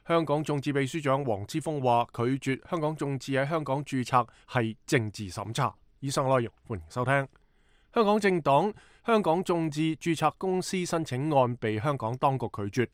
香港眾志秘書長黃之鋒話拒絕香港眾志喺香港註冊係政治審查。以上內容歡迎收聽。香港政黨香港眾志註冊公司申請案被香港當局拒絕。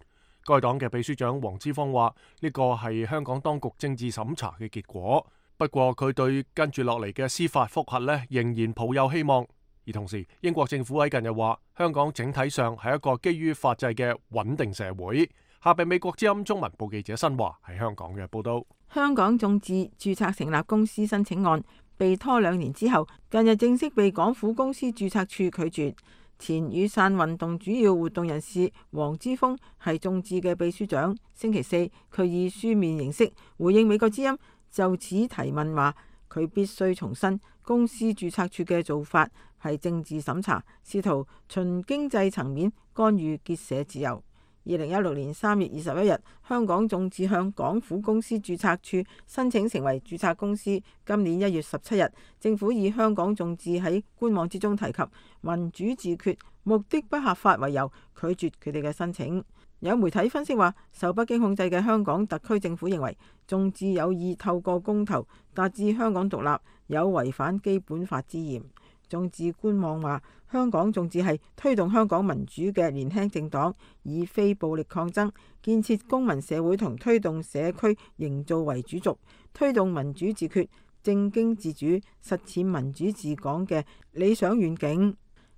該黨嘅秘書長黃之鋒話呢個係香港當局政治審查嘅結果。不過佢對跟住落嚟嘅司法覆核呢仍然抱有希望。而同時，英國政府喺近日話，香港整體上係一個基於法制嘅穩定社會。下邊美國之音中文部記者新華喺香港嘅報道。香港眾志註冊成立公司申請案被拖2年之後，近日正式被港府公司註冊處拒絕。前雨傘運動主要活動人士黃之鋒係眾志嘅秘書長。星期四，佢以書面形式回應美國之音就此提問話，佢必須重申公司註冊處嘅做法係政治審查，試圖循經濟層面干預結社自由。2016年3月21日，香港眾志向港府公司註冊處申請成為註冊公司。今年1月17日，政府以香港眾志喺官網之中提及民主自決目的不合法為由，拒絕佢哋嘅申請。有媒體分析話，受北京控制嘅香港特區政府認為眾志有意透過公投達至香港獨立，有違反基本法之嫌。眾志官網話，香港眾志係推動香港民主嘅年輕政黨，以非暴力抗爭、建設公民社會同推動社區營造為主軸，推動民主自決、政經自主、實踐民主治港嘅理想願景。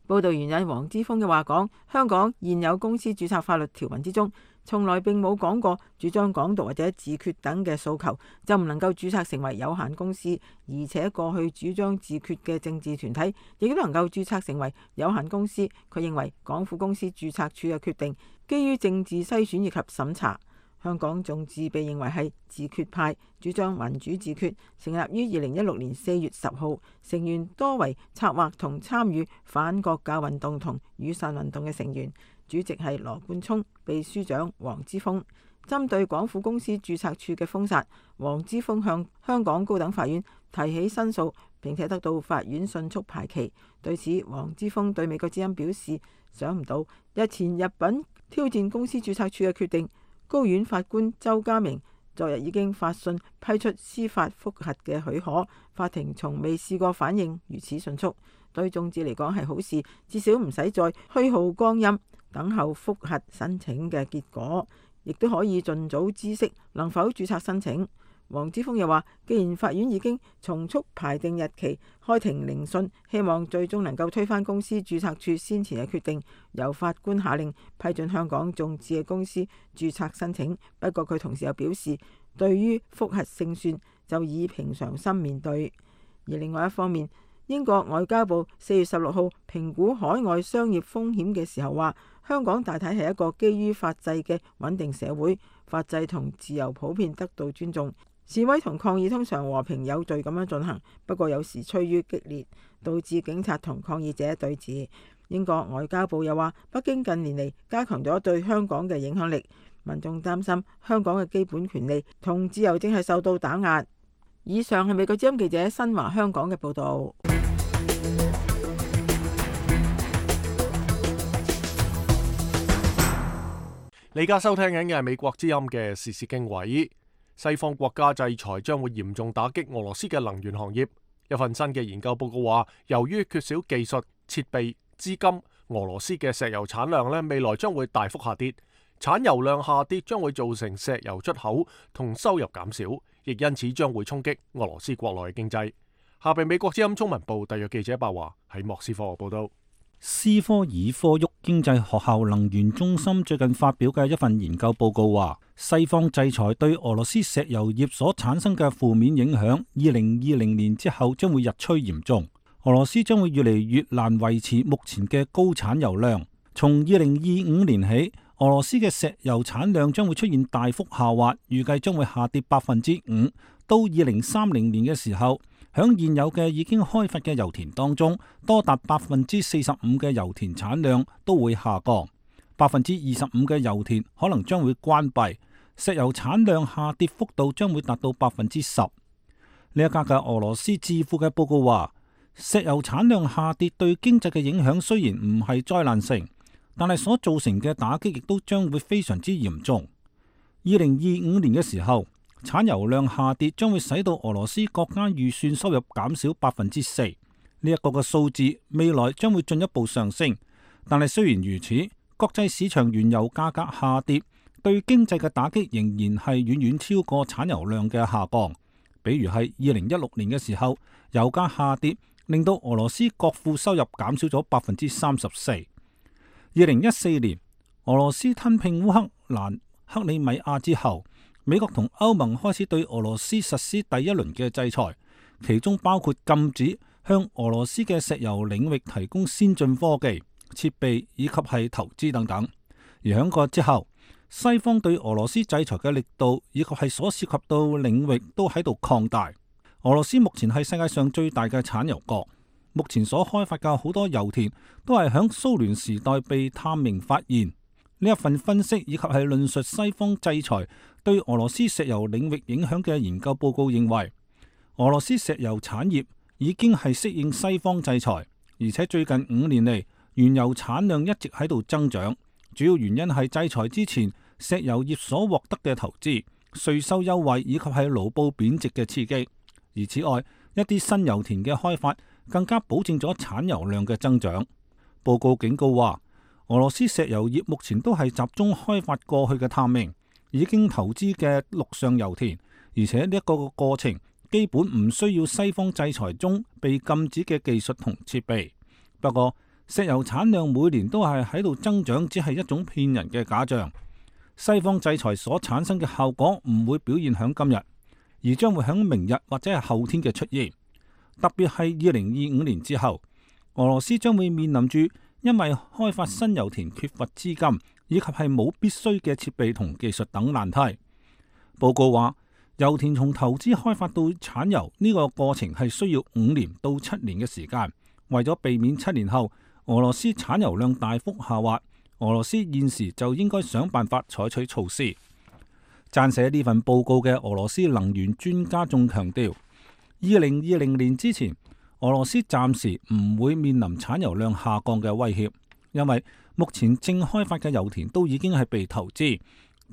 報道援引黃之鋒嘅話講，香港現有公司註冊法律條文之中，從來並冇講過主張港獨或者自決等嘅訴求就唔能夠註冊成為有限公司，而且過去主張自決嘅政治團體亦都能夠註冊成為有限公司。佢認為港府公司註冊處嘅決定基於政治篩選以及審查。香港眾志被認為係自決派，主張民主自決，成立於2016年4月10號，成員多為策劃同參與反國教運動同雨傘運動嘅成員，主席係羅冠聰，秘書長黃之鋒。針對港府公司註冊處嘅封殺，黃之鋒向香港高等法院提起申訴，並且得到法院迅速排期。對此，黃之鋒對美國之音表示，想唔到日前入稟挑戰公司註冊處嘅決定，高院法官周家明昨日已經發信批出司法覆核嘅許可，法庭從未試過反應如此迅速，對眾志嚟講係好事，至少唔使再虛耗光陰等候覆核申請嘅結果，亦都可以盡早知悉能否註冊申請。黃之鋒又話，既然法院已經從速排定日期開庭聆訊，希望最終能夠推翻公司註冊處先前嘅決定，由法官下令批准香港眾志嘅公司註冊申請。不過佢同時又表示，對於覆核勝算就以平常心面對。而另外一方面，英國外交部4月16號評估海外商業風險嘅時候話，香港大體係一個基於法制嘅穩定社會，法制同自由普遍得到尊重。示威同抗議通常和平有序咁樣進行，不過有時趨於激烈，導致警察同抗議者對峙。英國外交部又話，北京近年嚟加強咗對香港嘅影響力，民眾擔心香港嘅基本權利同自由正係受到打壓。以上係美國之音記者新華香港嘅報導。你而家收聽緊嘅係美國之音嘅時事經緯。西方國家制裁將會嚴重打擊俄羅斯嘅能源行業。一份新嘅研究報告話，由於缺少技術、設備、資金，俄羅斯嘅石油產量未來將會大幅下跌。產油量下跌將會造成石油出口同收入減少，亦因此將會衝擊俄羅斯國內嘅經濟。下邊美國之音中文部特約記者白華喺莫斯科報道。斯科爾科沃經濟學校能源中心最近發表嘅一份研究報告話，西方制裁對俄羅斯石油業所產生嘅負面影響，2020年之後將會日趨嚴重。俄羅斯將會越嚟越難維持目前嘅高產油量。從2025年起，俄羅斯嘅石油產量將會出現大幅下滑，預計將會下跌5%。到2030年嘅時候，響現有嘅已經開發嘅油田當中，多達45%嘅油田產量都會下降，25%嘅油田可能將會關閉，石油產量下跌幅度將會達到10%。呢一家嘅俄羅斯智庫嘅報告話，石油產量下跌對經濟嘅影響雖然唔係災難性，但係所造成嘅打擊亦都將會非常之嚴重。2025年嘅時候，產油量下跌將會使到俄羅斯國家預算收入減少4%。呢一個嘅數字未來將會進一步上升。但係雖然如此，國際市場原油價格下跌對經濟嘅打擊仍然係遠遠超過產油量嘅下降。比如係2016年嘅時候，油價下跌令到俄羅斯國庫收入減少咗34%。2014年，俄羅斯吞併烏克蘭克里米亞之後，美國同歐盟開始對俄羅斯實施第一輪嘅制裁，其中包括禁止向俄羅斯嘅石油領域提供先進科技、設備以及係投資等等。而響個之後，西方對俄羅斯制裁嘅力度以及係所涉及到領域都喺度擴大。俄羅斯目前係世界上最大嘅產油國，目前所開發嘅好多油田都係響蘇聯時代被探明發現。呢一份分析以及係論述西方制裁對俄羅斯石油領域影響嘅研究報告認為，俄羅斯石油產業已經係適應西方制裁，而且最近5年嚟原油產量一直喺度增長。主要原因係制裁之前石油業所獲得嘅投資、稅收優惠以及係盧布貶值嘅刺激。而此外，一啲新油田嘅開發更加保證咗產油量嘅增長。報告警告話，俄羅斯石油業目前都係集中開發過去嘅探明、已經投資嘅陸上油田，而且呢一個過程基本唔需要西方制裁中被禁止嘅技術同設備。不過，石油產量每年都係喺度增長，只係一種騙人嘅假象。西方制裁所產生嘅效果唔會表現響今日，而將會響明日或者係後天嘅出現。特別係2025年之後，俄羅斯將會面臨住因為開發新油田缺乏資金，以及係冇必須嘅設備同技術等難題。報告話，油田從投資開發到產油呢個過程係需要5年到7年嘅時間。為咗避免7年後俄羅斯產油量大幅下滑，俄羅斯現時就應該想辦法採取措施。撰寫呢份報告嘅俄羅斯能源專家仲強調，2020年之前，俄羅斯暫時唔會面臨產油量下降嘅威脅，因為目前正開發嘅油田都已經係被投資。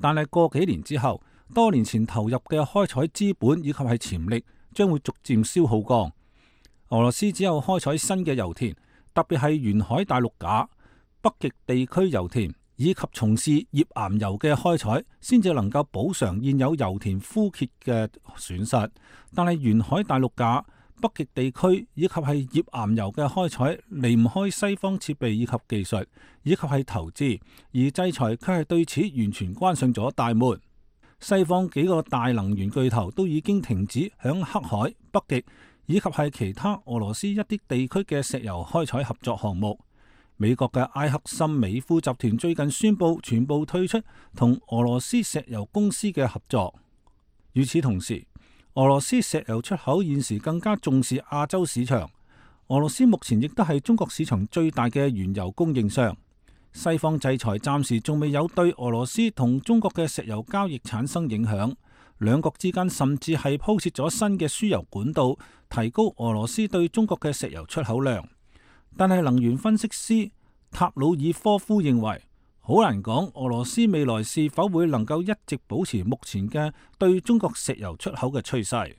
但係過幾年之後，多年前投入嘅開採資本以及係潛力將會逐漸消耗光。俄羅斯只有開採新嘅油田，特別係沿海大陸架、北極地區油田以及從事頁岩油嘅開採，先至能夠補償現有油田枯竭嘅損失。但係沿海大陸架、北極地區以及係頁岩油嘅開採離唔開西方設備以及技術，以及係投資，而制裁卻係對此完全關上咗大門。西方幾個大能源巨頭都已經停止響黑海、北極以及係其他俄羅斯一啲地區嘅石油開採合作項目。美國嘅埃克森美孚集團最近宣布全部退出同俄羅斯石油公司嘅合作。與此同時，俄羅斯石油出口現時更加重視亞洲市場。俄羅斯目前亦都係中國市場最大嘅原油供應商。西方制裁暫時仲未有對俄羅斯同中國嘅石油交易產生影響，兩國之間甚至係鋪設咗新嘅輸油管道，提高俄羅斯對中國嘅石油出口量。但係能源分析師塔魯爾科夫認為，好難講俄羅斯未來是否會能夠一直保持目前嘅對中國石油出口嘅趨勢。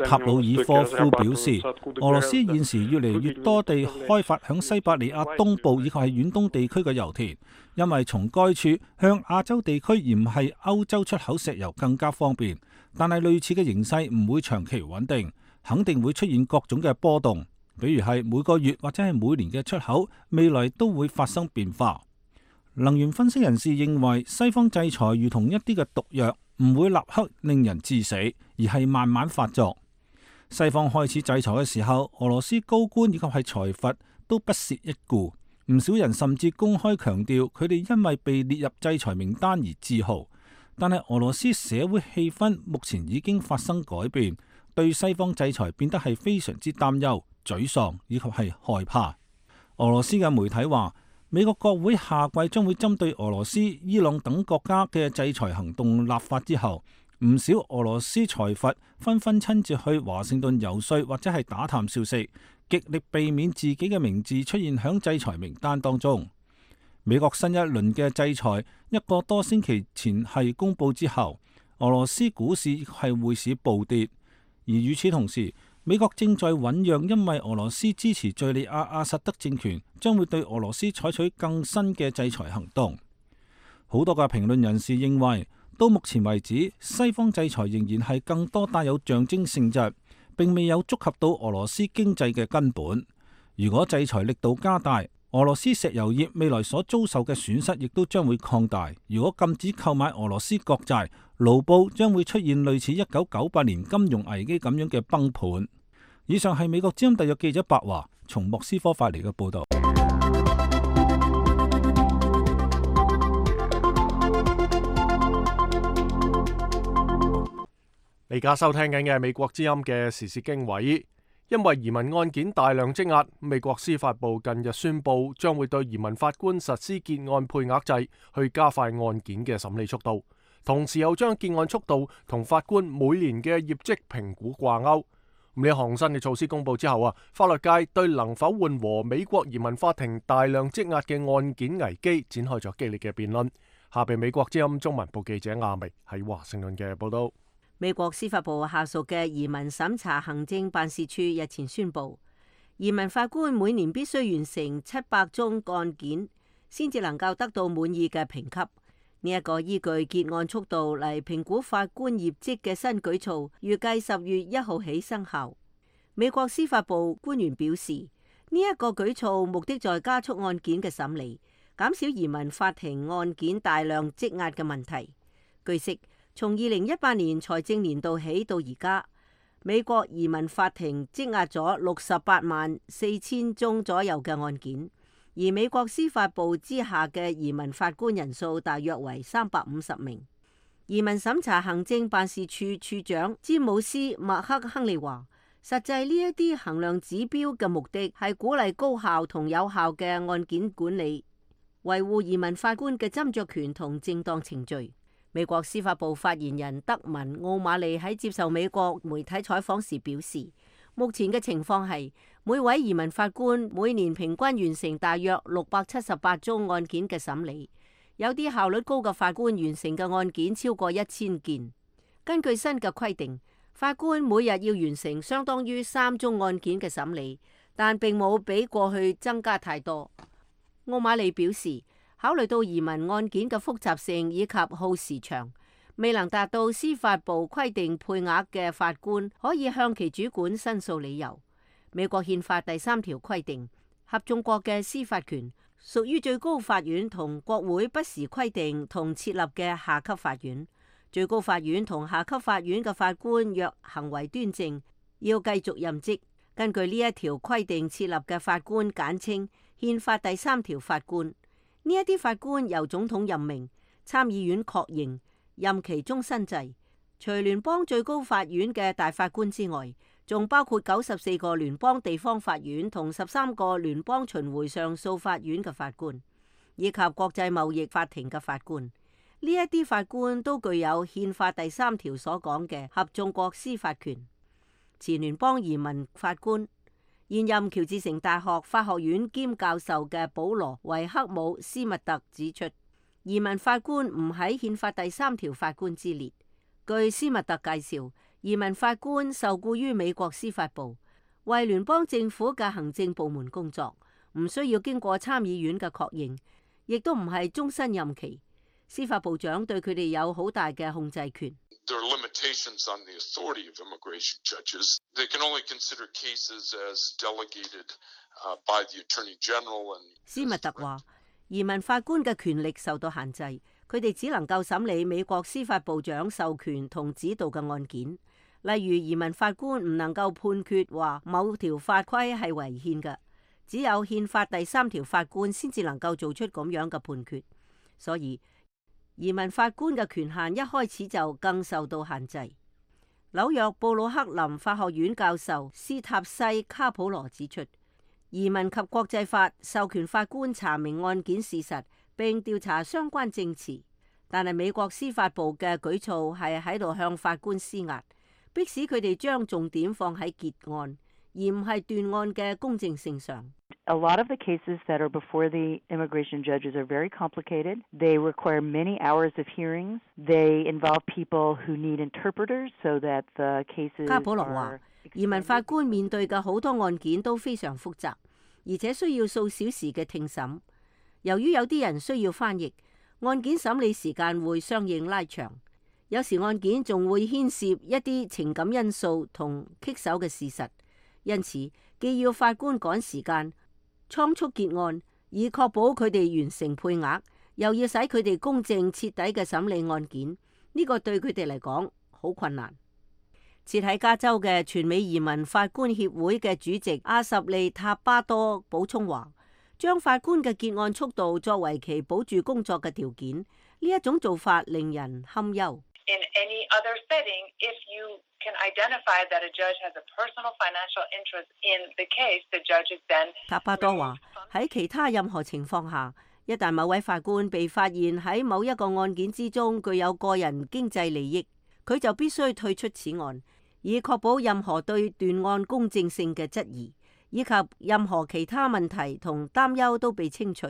塔魯爾科夫表示，俄羅斯現時越嚟越多地開發響西伯利亞東部以及係遠東地區嘅油田，因為從該處向亞洲地區而唔係歐洲出口石油更加方便。但係類似嘅形勢唔會長期穩定，肯定會出現各種嘅波動，比如係每個月或者係每年嘅出口，未來都會發生變化。能源分析人士認為，西方制裁如同一啲嘅毒藥，唔會立刻令人致死，而係慢慢發作。西方開始制裁嘅時候，俄羅斯高官以及係財閥都不屑一顧，唔少人甚至公開強調佢哋因為被列入制裁名單而自豪。但係俄羅斯社會氣氛目前已經發生改變，對西方制裁變得係非常之擔憂、沮喪以及係害怕。俄羅斯嘅媒體話，美國國會下季將會針對俄羅斯、伊朗等國家嘅制裁行動立法之後，唔少俄羅斯財閥紛紛親自去華盛頓遊說或者係打探消息，極力避免自己嘅名字出現響制裁名單當中。美國新一輪嘅制裁一個多星期前係公布之後，俄羅斯股市係匯市暴跌，而與此同時，美國正在醞釀，因為俄羅斯支持敘利亞阿薩德政權，將會對俄羅斯採取更新嘅制裁行動。好多嘅評論人士認為，到目前為止，西方制裁仍然係更多帶有象徵性質，並未有觸及到俄羅斯經濟嘅根本。如果制裁力度加大，俄羅斯石油業未來所遭受嘅損失亦都將會擴大。如果禁止購買俄羅斯國債，盧布將會出現類似1998年金融危機咁樣嘅崩盤。以上係美國之音特約記者白華從莫斯科發嚟嘅報道。你而家收聽緊嘅係美國之音嘅時事經緯。因為移民案件大量積壓，美國司法部近日宣布將會對移民法官實施結案配額制，去加快案件嘅審理速度，同時又將結案速度同法官每年嘅業績評估掛鈎。呢項新嘅措施公布之後法律界對能否緩和美國移民法庭大量積壓嘅案件危機展開咗激烈嘅辯論。下邊美國之音中文部記者亞明喺華盛頓嘅報道。美國司法部下屬嘅移民審查行政辦事處日前宣布，移民法官每年必須完成700宗案件，先至能夠得到滿意嘅評級。呢一個依據結案速度嚟評估法官業績嘅新舉措，預計10月1號起生效。美國司法部官員表示，呢一個舉措目的在加速案件嘅審理，減少移民法庭案件大量積壓嘅問題。據悉，從2018年財政年度起到而家，美國移民法庭積壓咗684000宗左右嘅案件，而美國司法部之下嘅移民法官人數大約為350名。移民審查行政辦事處處長詹姆斯·麥克亨利話，實際呢一啲衡量指標嘅目的係鼓勵高效同有效嘅案件管理，維護移民法官嘅斟酌權同正當程序。美國司法部發言人德文·奧馬利喺接受美國媒體採訪時表示，目前嘅情況係每位移民法官每年平均完成大約678宗案件嘅審理，有啲效率高嘅法官完成嘅案件超過1000件。根據新嘅規定，法官每日要完成相當於3宗案件嘅審理，但並冇比過去增加太多。奧馬利表示，考慮到移民案件嘅複雜性以及耗時長，未能達到司法部規定配額嘅法官可以向其主管申訴理由。美國憲法第3條規定，合眾國嘅司法權屬於最高法院同國會不時規定同設立嘅下級法院。最高法院同下級法院嘅法官若行為端正，要繼續任職。根據呢一條規定設立嘅法官簡稱憲法第3條法官。呢一啲法官由總統任命，參議院確認任期終身制。除聯邦最高法院嘅大法官之外，仲包括94個聯邦地方法院同13個聯邦巡迴上訴法院嘅法官，以及國際貿易法庭嘅法官。呢一啲法官都具有憲法第3條所講嘅合眾國司法權。前聯邦移民法官、現任喬治城大學法學院兼教授嘅保羅維克姆斯密特指出，移民法官唔喺憲法第3條法官之列。據斯密特介紹，移民法官受僱於美國司法部，為聯邦政府嘅行政部門工作，唔需要經過參議院嘅確認，亦都唔係終身任期。司法部長對佢哋有好大嘅控制權。斯密特話，移民法官嘅權力受到限制，佢哋只能夠審理美國司法部長授權同指導嘅案件。例如，移民法官唔能夠判決話某條法規係違憲嘅，只有憲法第3條法官先至能夠做出咁樣嘅判決。所以，移民法官嘅權限一開始就更受到限制。紐約布魯克林法學院教授斯塔西卡普羅指出，移民及國際法授權法官查明案件事實並調查相關證詞，但係美國司法部嘅舉措係喺度向法官施壓，迫使佢哋將重點放喺結案，而唔係斷案嘅公正性上。A lot of the cases that are before the immigration judges are very complicated. They require many hours of hearings. They involve people who need interpreters so that the cases 卡普羅話，移民法官面對嘅好多案件都非常複雜，而且需要數小時嘅聽審。由於有啲人需要翻譯，案件審理時間會相應拉長。有時案件仲會牽涉一啲情感因素同棘手嘅事實，因此既要法官趕時間倉促結案，以確保佢哋完成配額，又要使佢哋公正徹底嘅審理案件，呢個對佢哋嚟講好困難。設喺加州嘅全美移民法官協會嘅主席阿什利塔巴多補充話，將法官嘅結案速度作為其保住工作嘅條件，呢一種做法令人堪憂。In any other setting, if you can identify that a judge has a personal financial interest in the case, the judge is then 塔巴多話，喺其他任何情況下，一旦某位法官被發現喺某一個案件之中具有個人經濟利益，佢就必須退出此案，以確保任何對斷案公正性嘅質疑，以及任何其他問題同擔憂都被清除，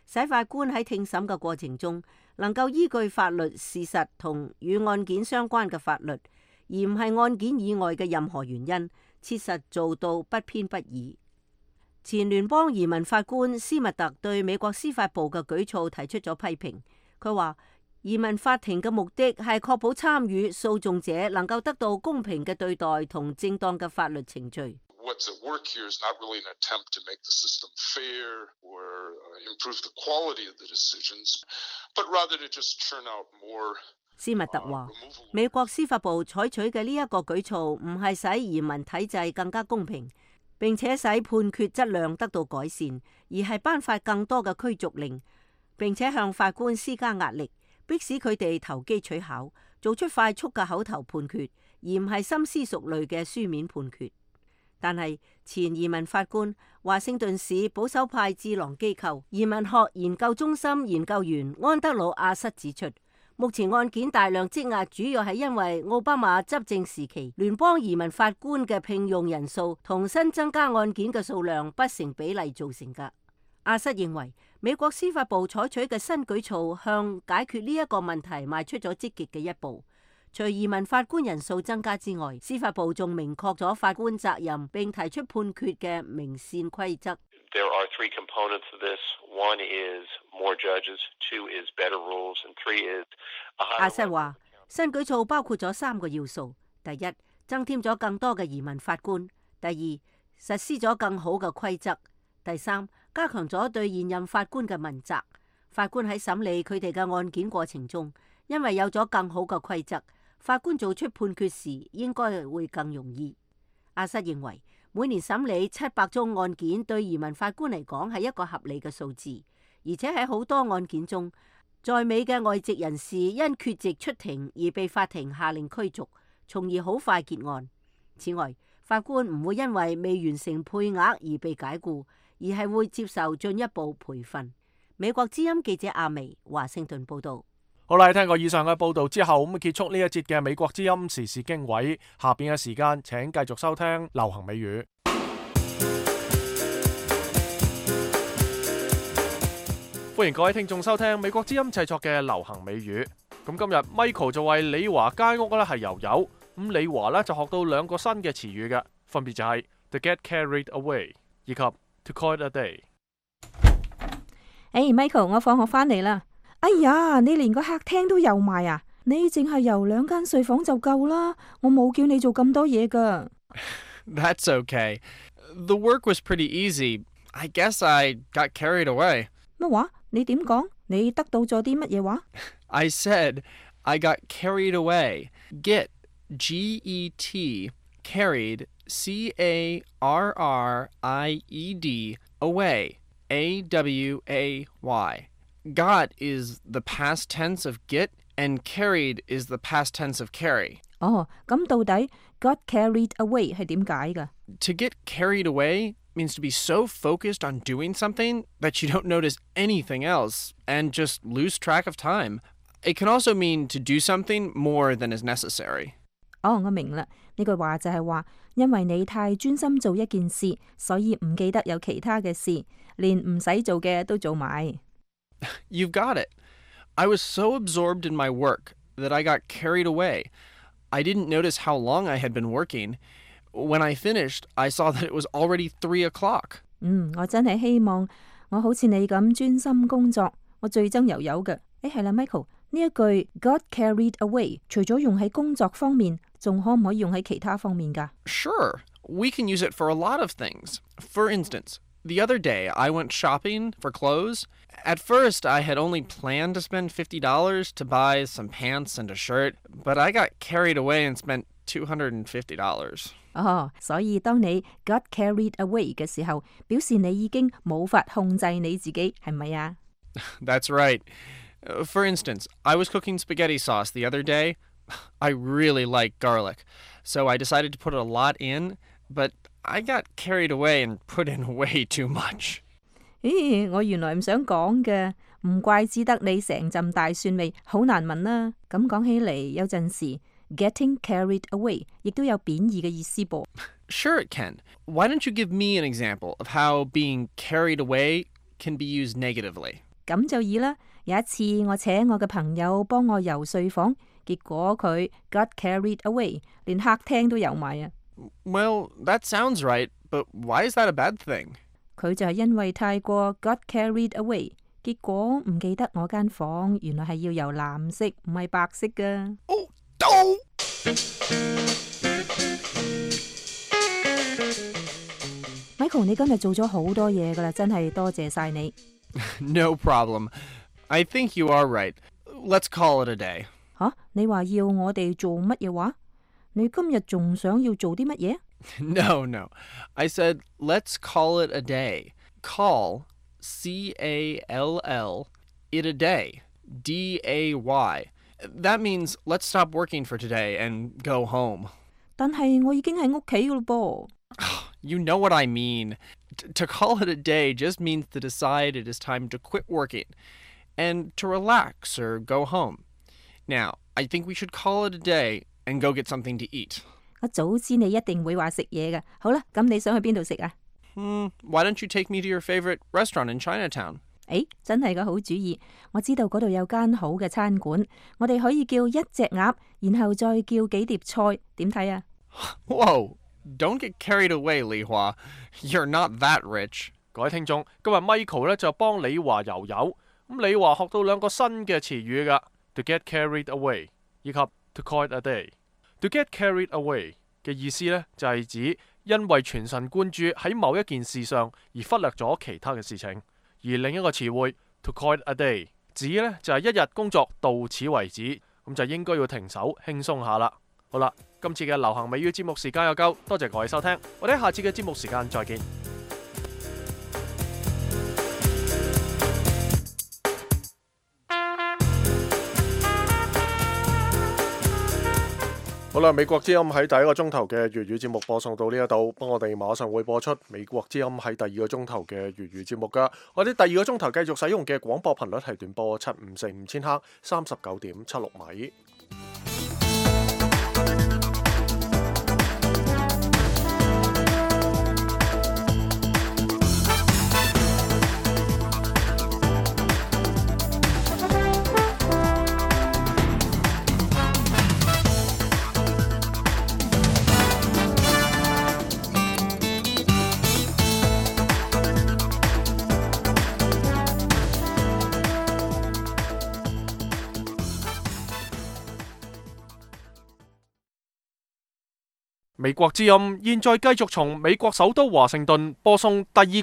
使法官喺聽審嘅過程中能夠依據法律事實同與案件相關嘅法律，而唔係案件以外嘅任何原因，切實做到不偏不倚。前聯邦移民法官斯密特對美國司法部嘅舉措提出咗批評。佢話，移民法庭嘅目的係確保參與訴訟者能夠得到公平嘅對待同正當嘅法律程序。What's at work here is not really an attempt to make the system fair or improve the quality of the decisions, but rather to just churn out more. 斯密特話，美國司法部採取嘅呢一個舉措唔係使移民體制更加公平，並且使判決質量得到改善，而係頒發更多嘅驅逐令，並且向法官施加壓力，迫使佢哋投機取巧，做出快速嘅口頭判決，而唔係深思熟慮嘅書面判決。但係前移民法官、華盛頓市保守派智囊機構移民學研究中心研究員安德魯亞瑟指出，目前案件大量積壓，主要係因為奧巴馬執政時期聯邦移民法官嘅聘用人數同新增加案件嘅數量不成比例造成㗎。亞瑟認為，美國司法部採取嘅新舉措向解決呢一個問題邁出咗積極嘅一步。除移民法官人數增加之外，司法部仲明確咗法官責任，並提出判決嘅明線規則。There are three components of this. One is more judges, two is better rules, and three is a higher. 阿瑟話，新舉措包括咗3個要素：第一，增添咗更多嘅移民法官；第二，實施咗更好嘅規則；第三，加強咗對現任法官嘅問責。法官喺審理佢哋嘅案件過程中，因為有咗更好嘅規則，法官做出判決時應該會更容易。阿瑟認為，每年審理700宗案件對移民法官嚟講係一個合理嘅數字，而且喺好多案件中，在美嘅外籍人士因缺席出庭而被法庭下令驅逐，從而好快結案。此外，法官唔會因為未完成配額而被解僱，而係會接受進一步培訓。美國之音記者阿薇華盛頓報道。好啦，聽過以上嘅報道之後，咁結束呢一節嘅美國之音時事經緯。下邊嘅時間，請繼續收聽流行美語。歡迎各位聽眾收聽美國之音製作嘅流行美語。咁今日 Michael 就為李華街屋咧係油油，咁李華咧就學到兩個新嘅詞語嘅，分別就係 to get carried away 以及 to call it a day。Michael， 我放學返嚟啦。哎呀，你連個客廳都油埋啊！你淨係油2間睡房就夠啦，我冇叫你做咁多嘢噶。That's okay. The work was pretty easy. I guess I got carried away. 乜話？你點講？你得到咗啲乜嘢話？ I said I got carried away. Get, G-E-T, carried, C-A-R-R-I-E-D, away, A-W-A-Y. Got is the past tense of get, and carried is the past tense of carry. 咁到底 got carried away 係點解㗎？ To get carried away means to be so focused on doing something that you don't notice anything else and just lose track of time. It can also mean to do something more than is necessary. 我明啦，呢句話就係話，因為你太專心做一件事，所以唔記得有其他嘅事，連唔使做嘅都做埋。You've got it. I was so absorbed in my work that I got carried away. I didn't notice how long I had been working. When I finished, I saw that it was already 3 o'clock. 我真係希望我好似你咁專心工作。我最憎油油嘅。係啦 ，Michael， 呢一句 got carried away 除咗用喺工作方面，仲可唔可以用喺其他方面㗎？ Sure. We can use it for a lot of things. For instance, the other day I went shopping for clothes. At first, I had only planned to spend $50 to buy some pants and a shirt, but I got carried away and spent $250. 所以當你 got carried away 嘅時候，表示你已經冇法控制你自己，係咪啊？ That's right. For instance, I was cooking spaghetti sauce the other day. I really like garlic, so I decided to put a lot in, but I got carried away and put in way too much. 我原來唔想講嘅，唔怪之得你成陣大蒜味，好難聞啦。咁講起嚟，有陣時 getting carried away 亦都有貶義嘅意思噃。Sure it can. Why don't you give me an example of how being carried away can be used negatively? 咁就易啦。有一次我請我嘅朋友幫我游睡房，結果佢 got carried away， 連客廳都游埋啊。Well, that sounds right, but why is that a bad thing? 佢就係因為太過 got carried away， 結果唔記得我間房原來係要游藍色，唔係白色㗎。Michael， 你今日做咗好多嘢㗎啦，真係多謝晒你。No problem. I think you are right. Let's call it a day. 你話要我哋做乜嘢話？你今日仲想要做啲乜嘢？ No. I said, let's call it a day. Call, C-A-L-L, it a day, D-A-Y. That means let's stop working for today and go home. 但係我已經喺屋企㗎咯噃。You know what I mean. To call it a day just means to decide it is time to quit working and to relax or go home. Now, I think we should call it a day and go get something to eat. 我早知你一定會話食嘢㗎。好啦，咁你想去邊度食啊？Why don't you take me to your favorite restaurant in Chinatown? 真係個好主意。我知道嗰度有間好嘅餐館，我哋可以叫1隻鴨，然後再叫幾碟菜，點睇啊？ Whoa, don't get carried away, 李華. You're not that rich. 各位聽眾，今日 Michael 咧就幫李華游游，咁李華學到兩個新嘅詞語㗎 ，to get carried away 以及 to call it a day。To get carried away 嘅意思呢，就係指因為全神貫注喺某一件事上而忽略咗其他嘅事情。而另一個詞彙 to call it a day 指呢，就係一日工作到此為止，咁就應該要停手輕鬆下啦。好啦，今次嘅流行美語節目時間又夠，多謝各位收聽，我哋下次嘅節目時間再見。好啦，美國之音喺第一個鐘頭嘅粵語節目播送到呢一度，幫我哋馬上會播出美國之音喺第二個鐘頭嘅粵語節目噶。我哋第二個鐘頭繼續使用嘅廣播頻率係短波7545千赫39.76米。美國之音現在繼續從美國首都華盛頓播送第二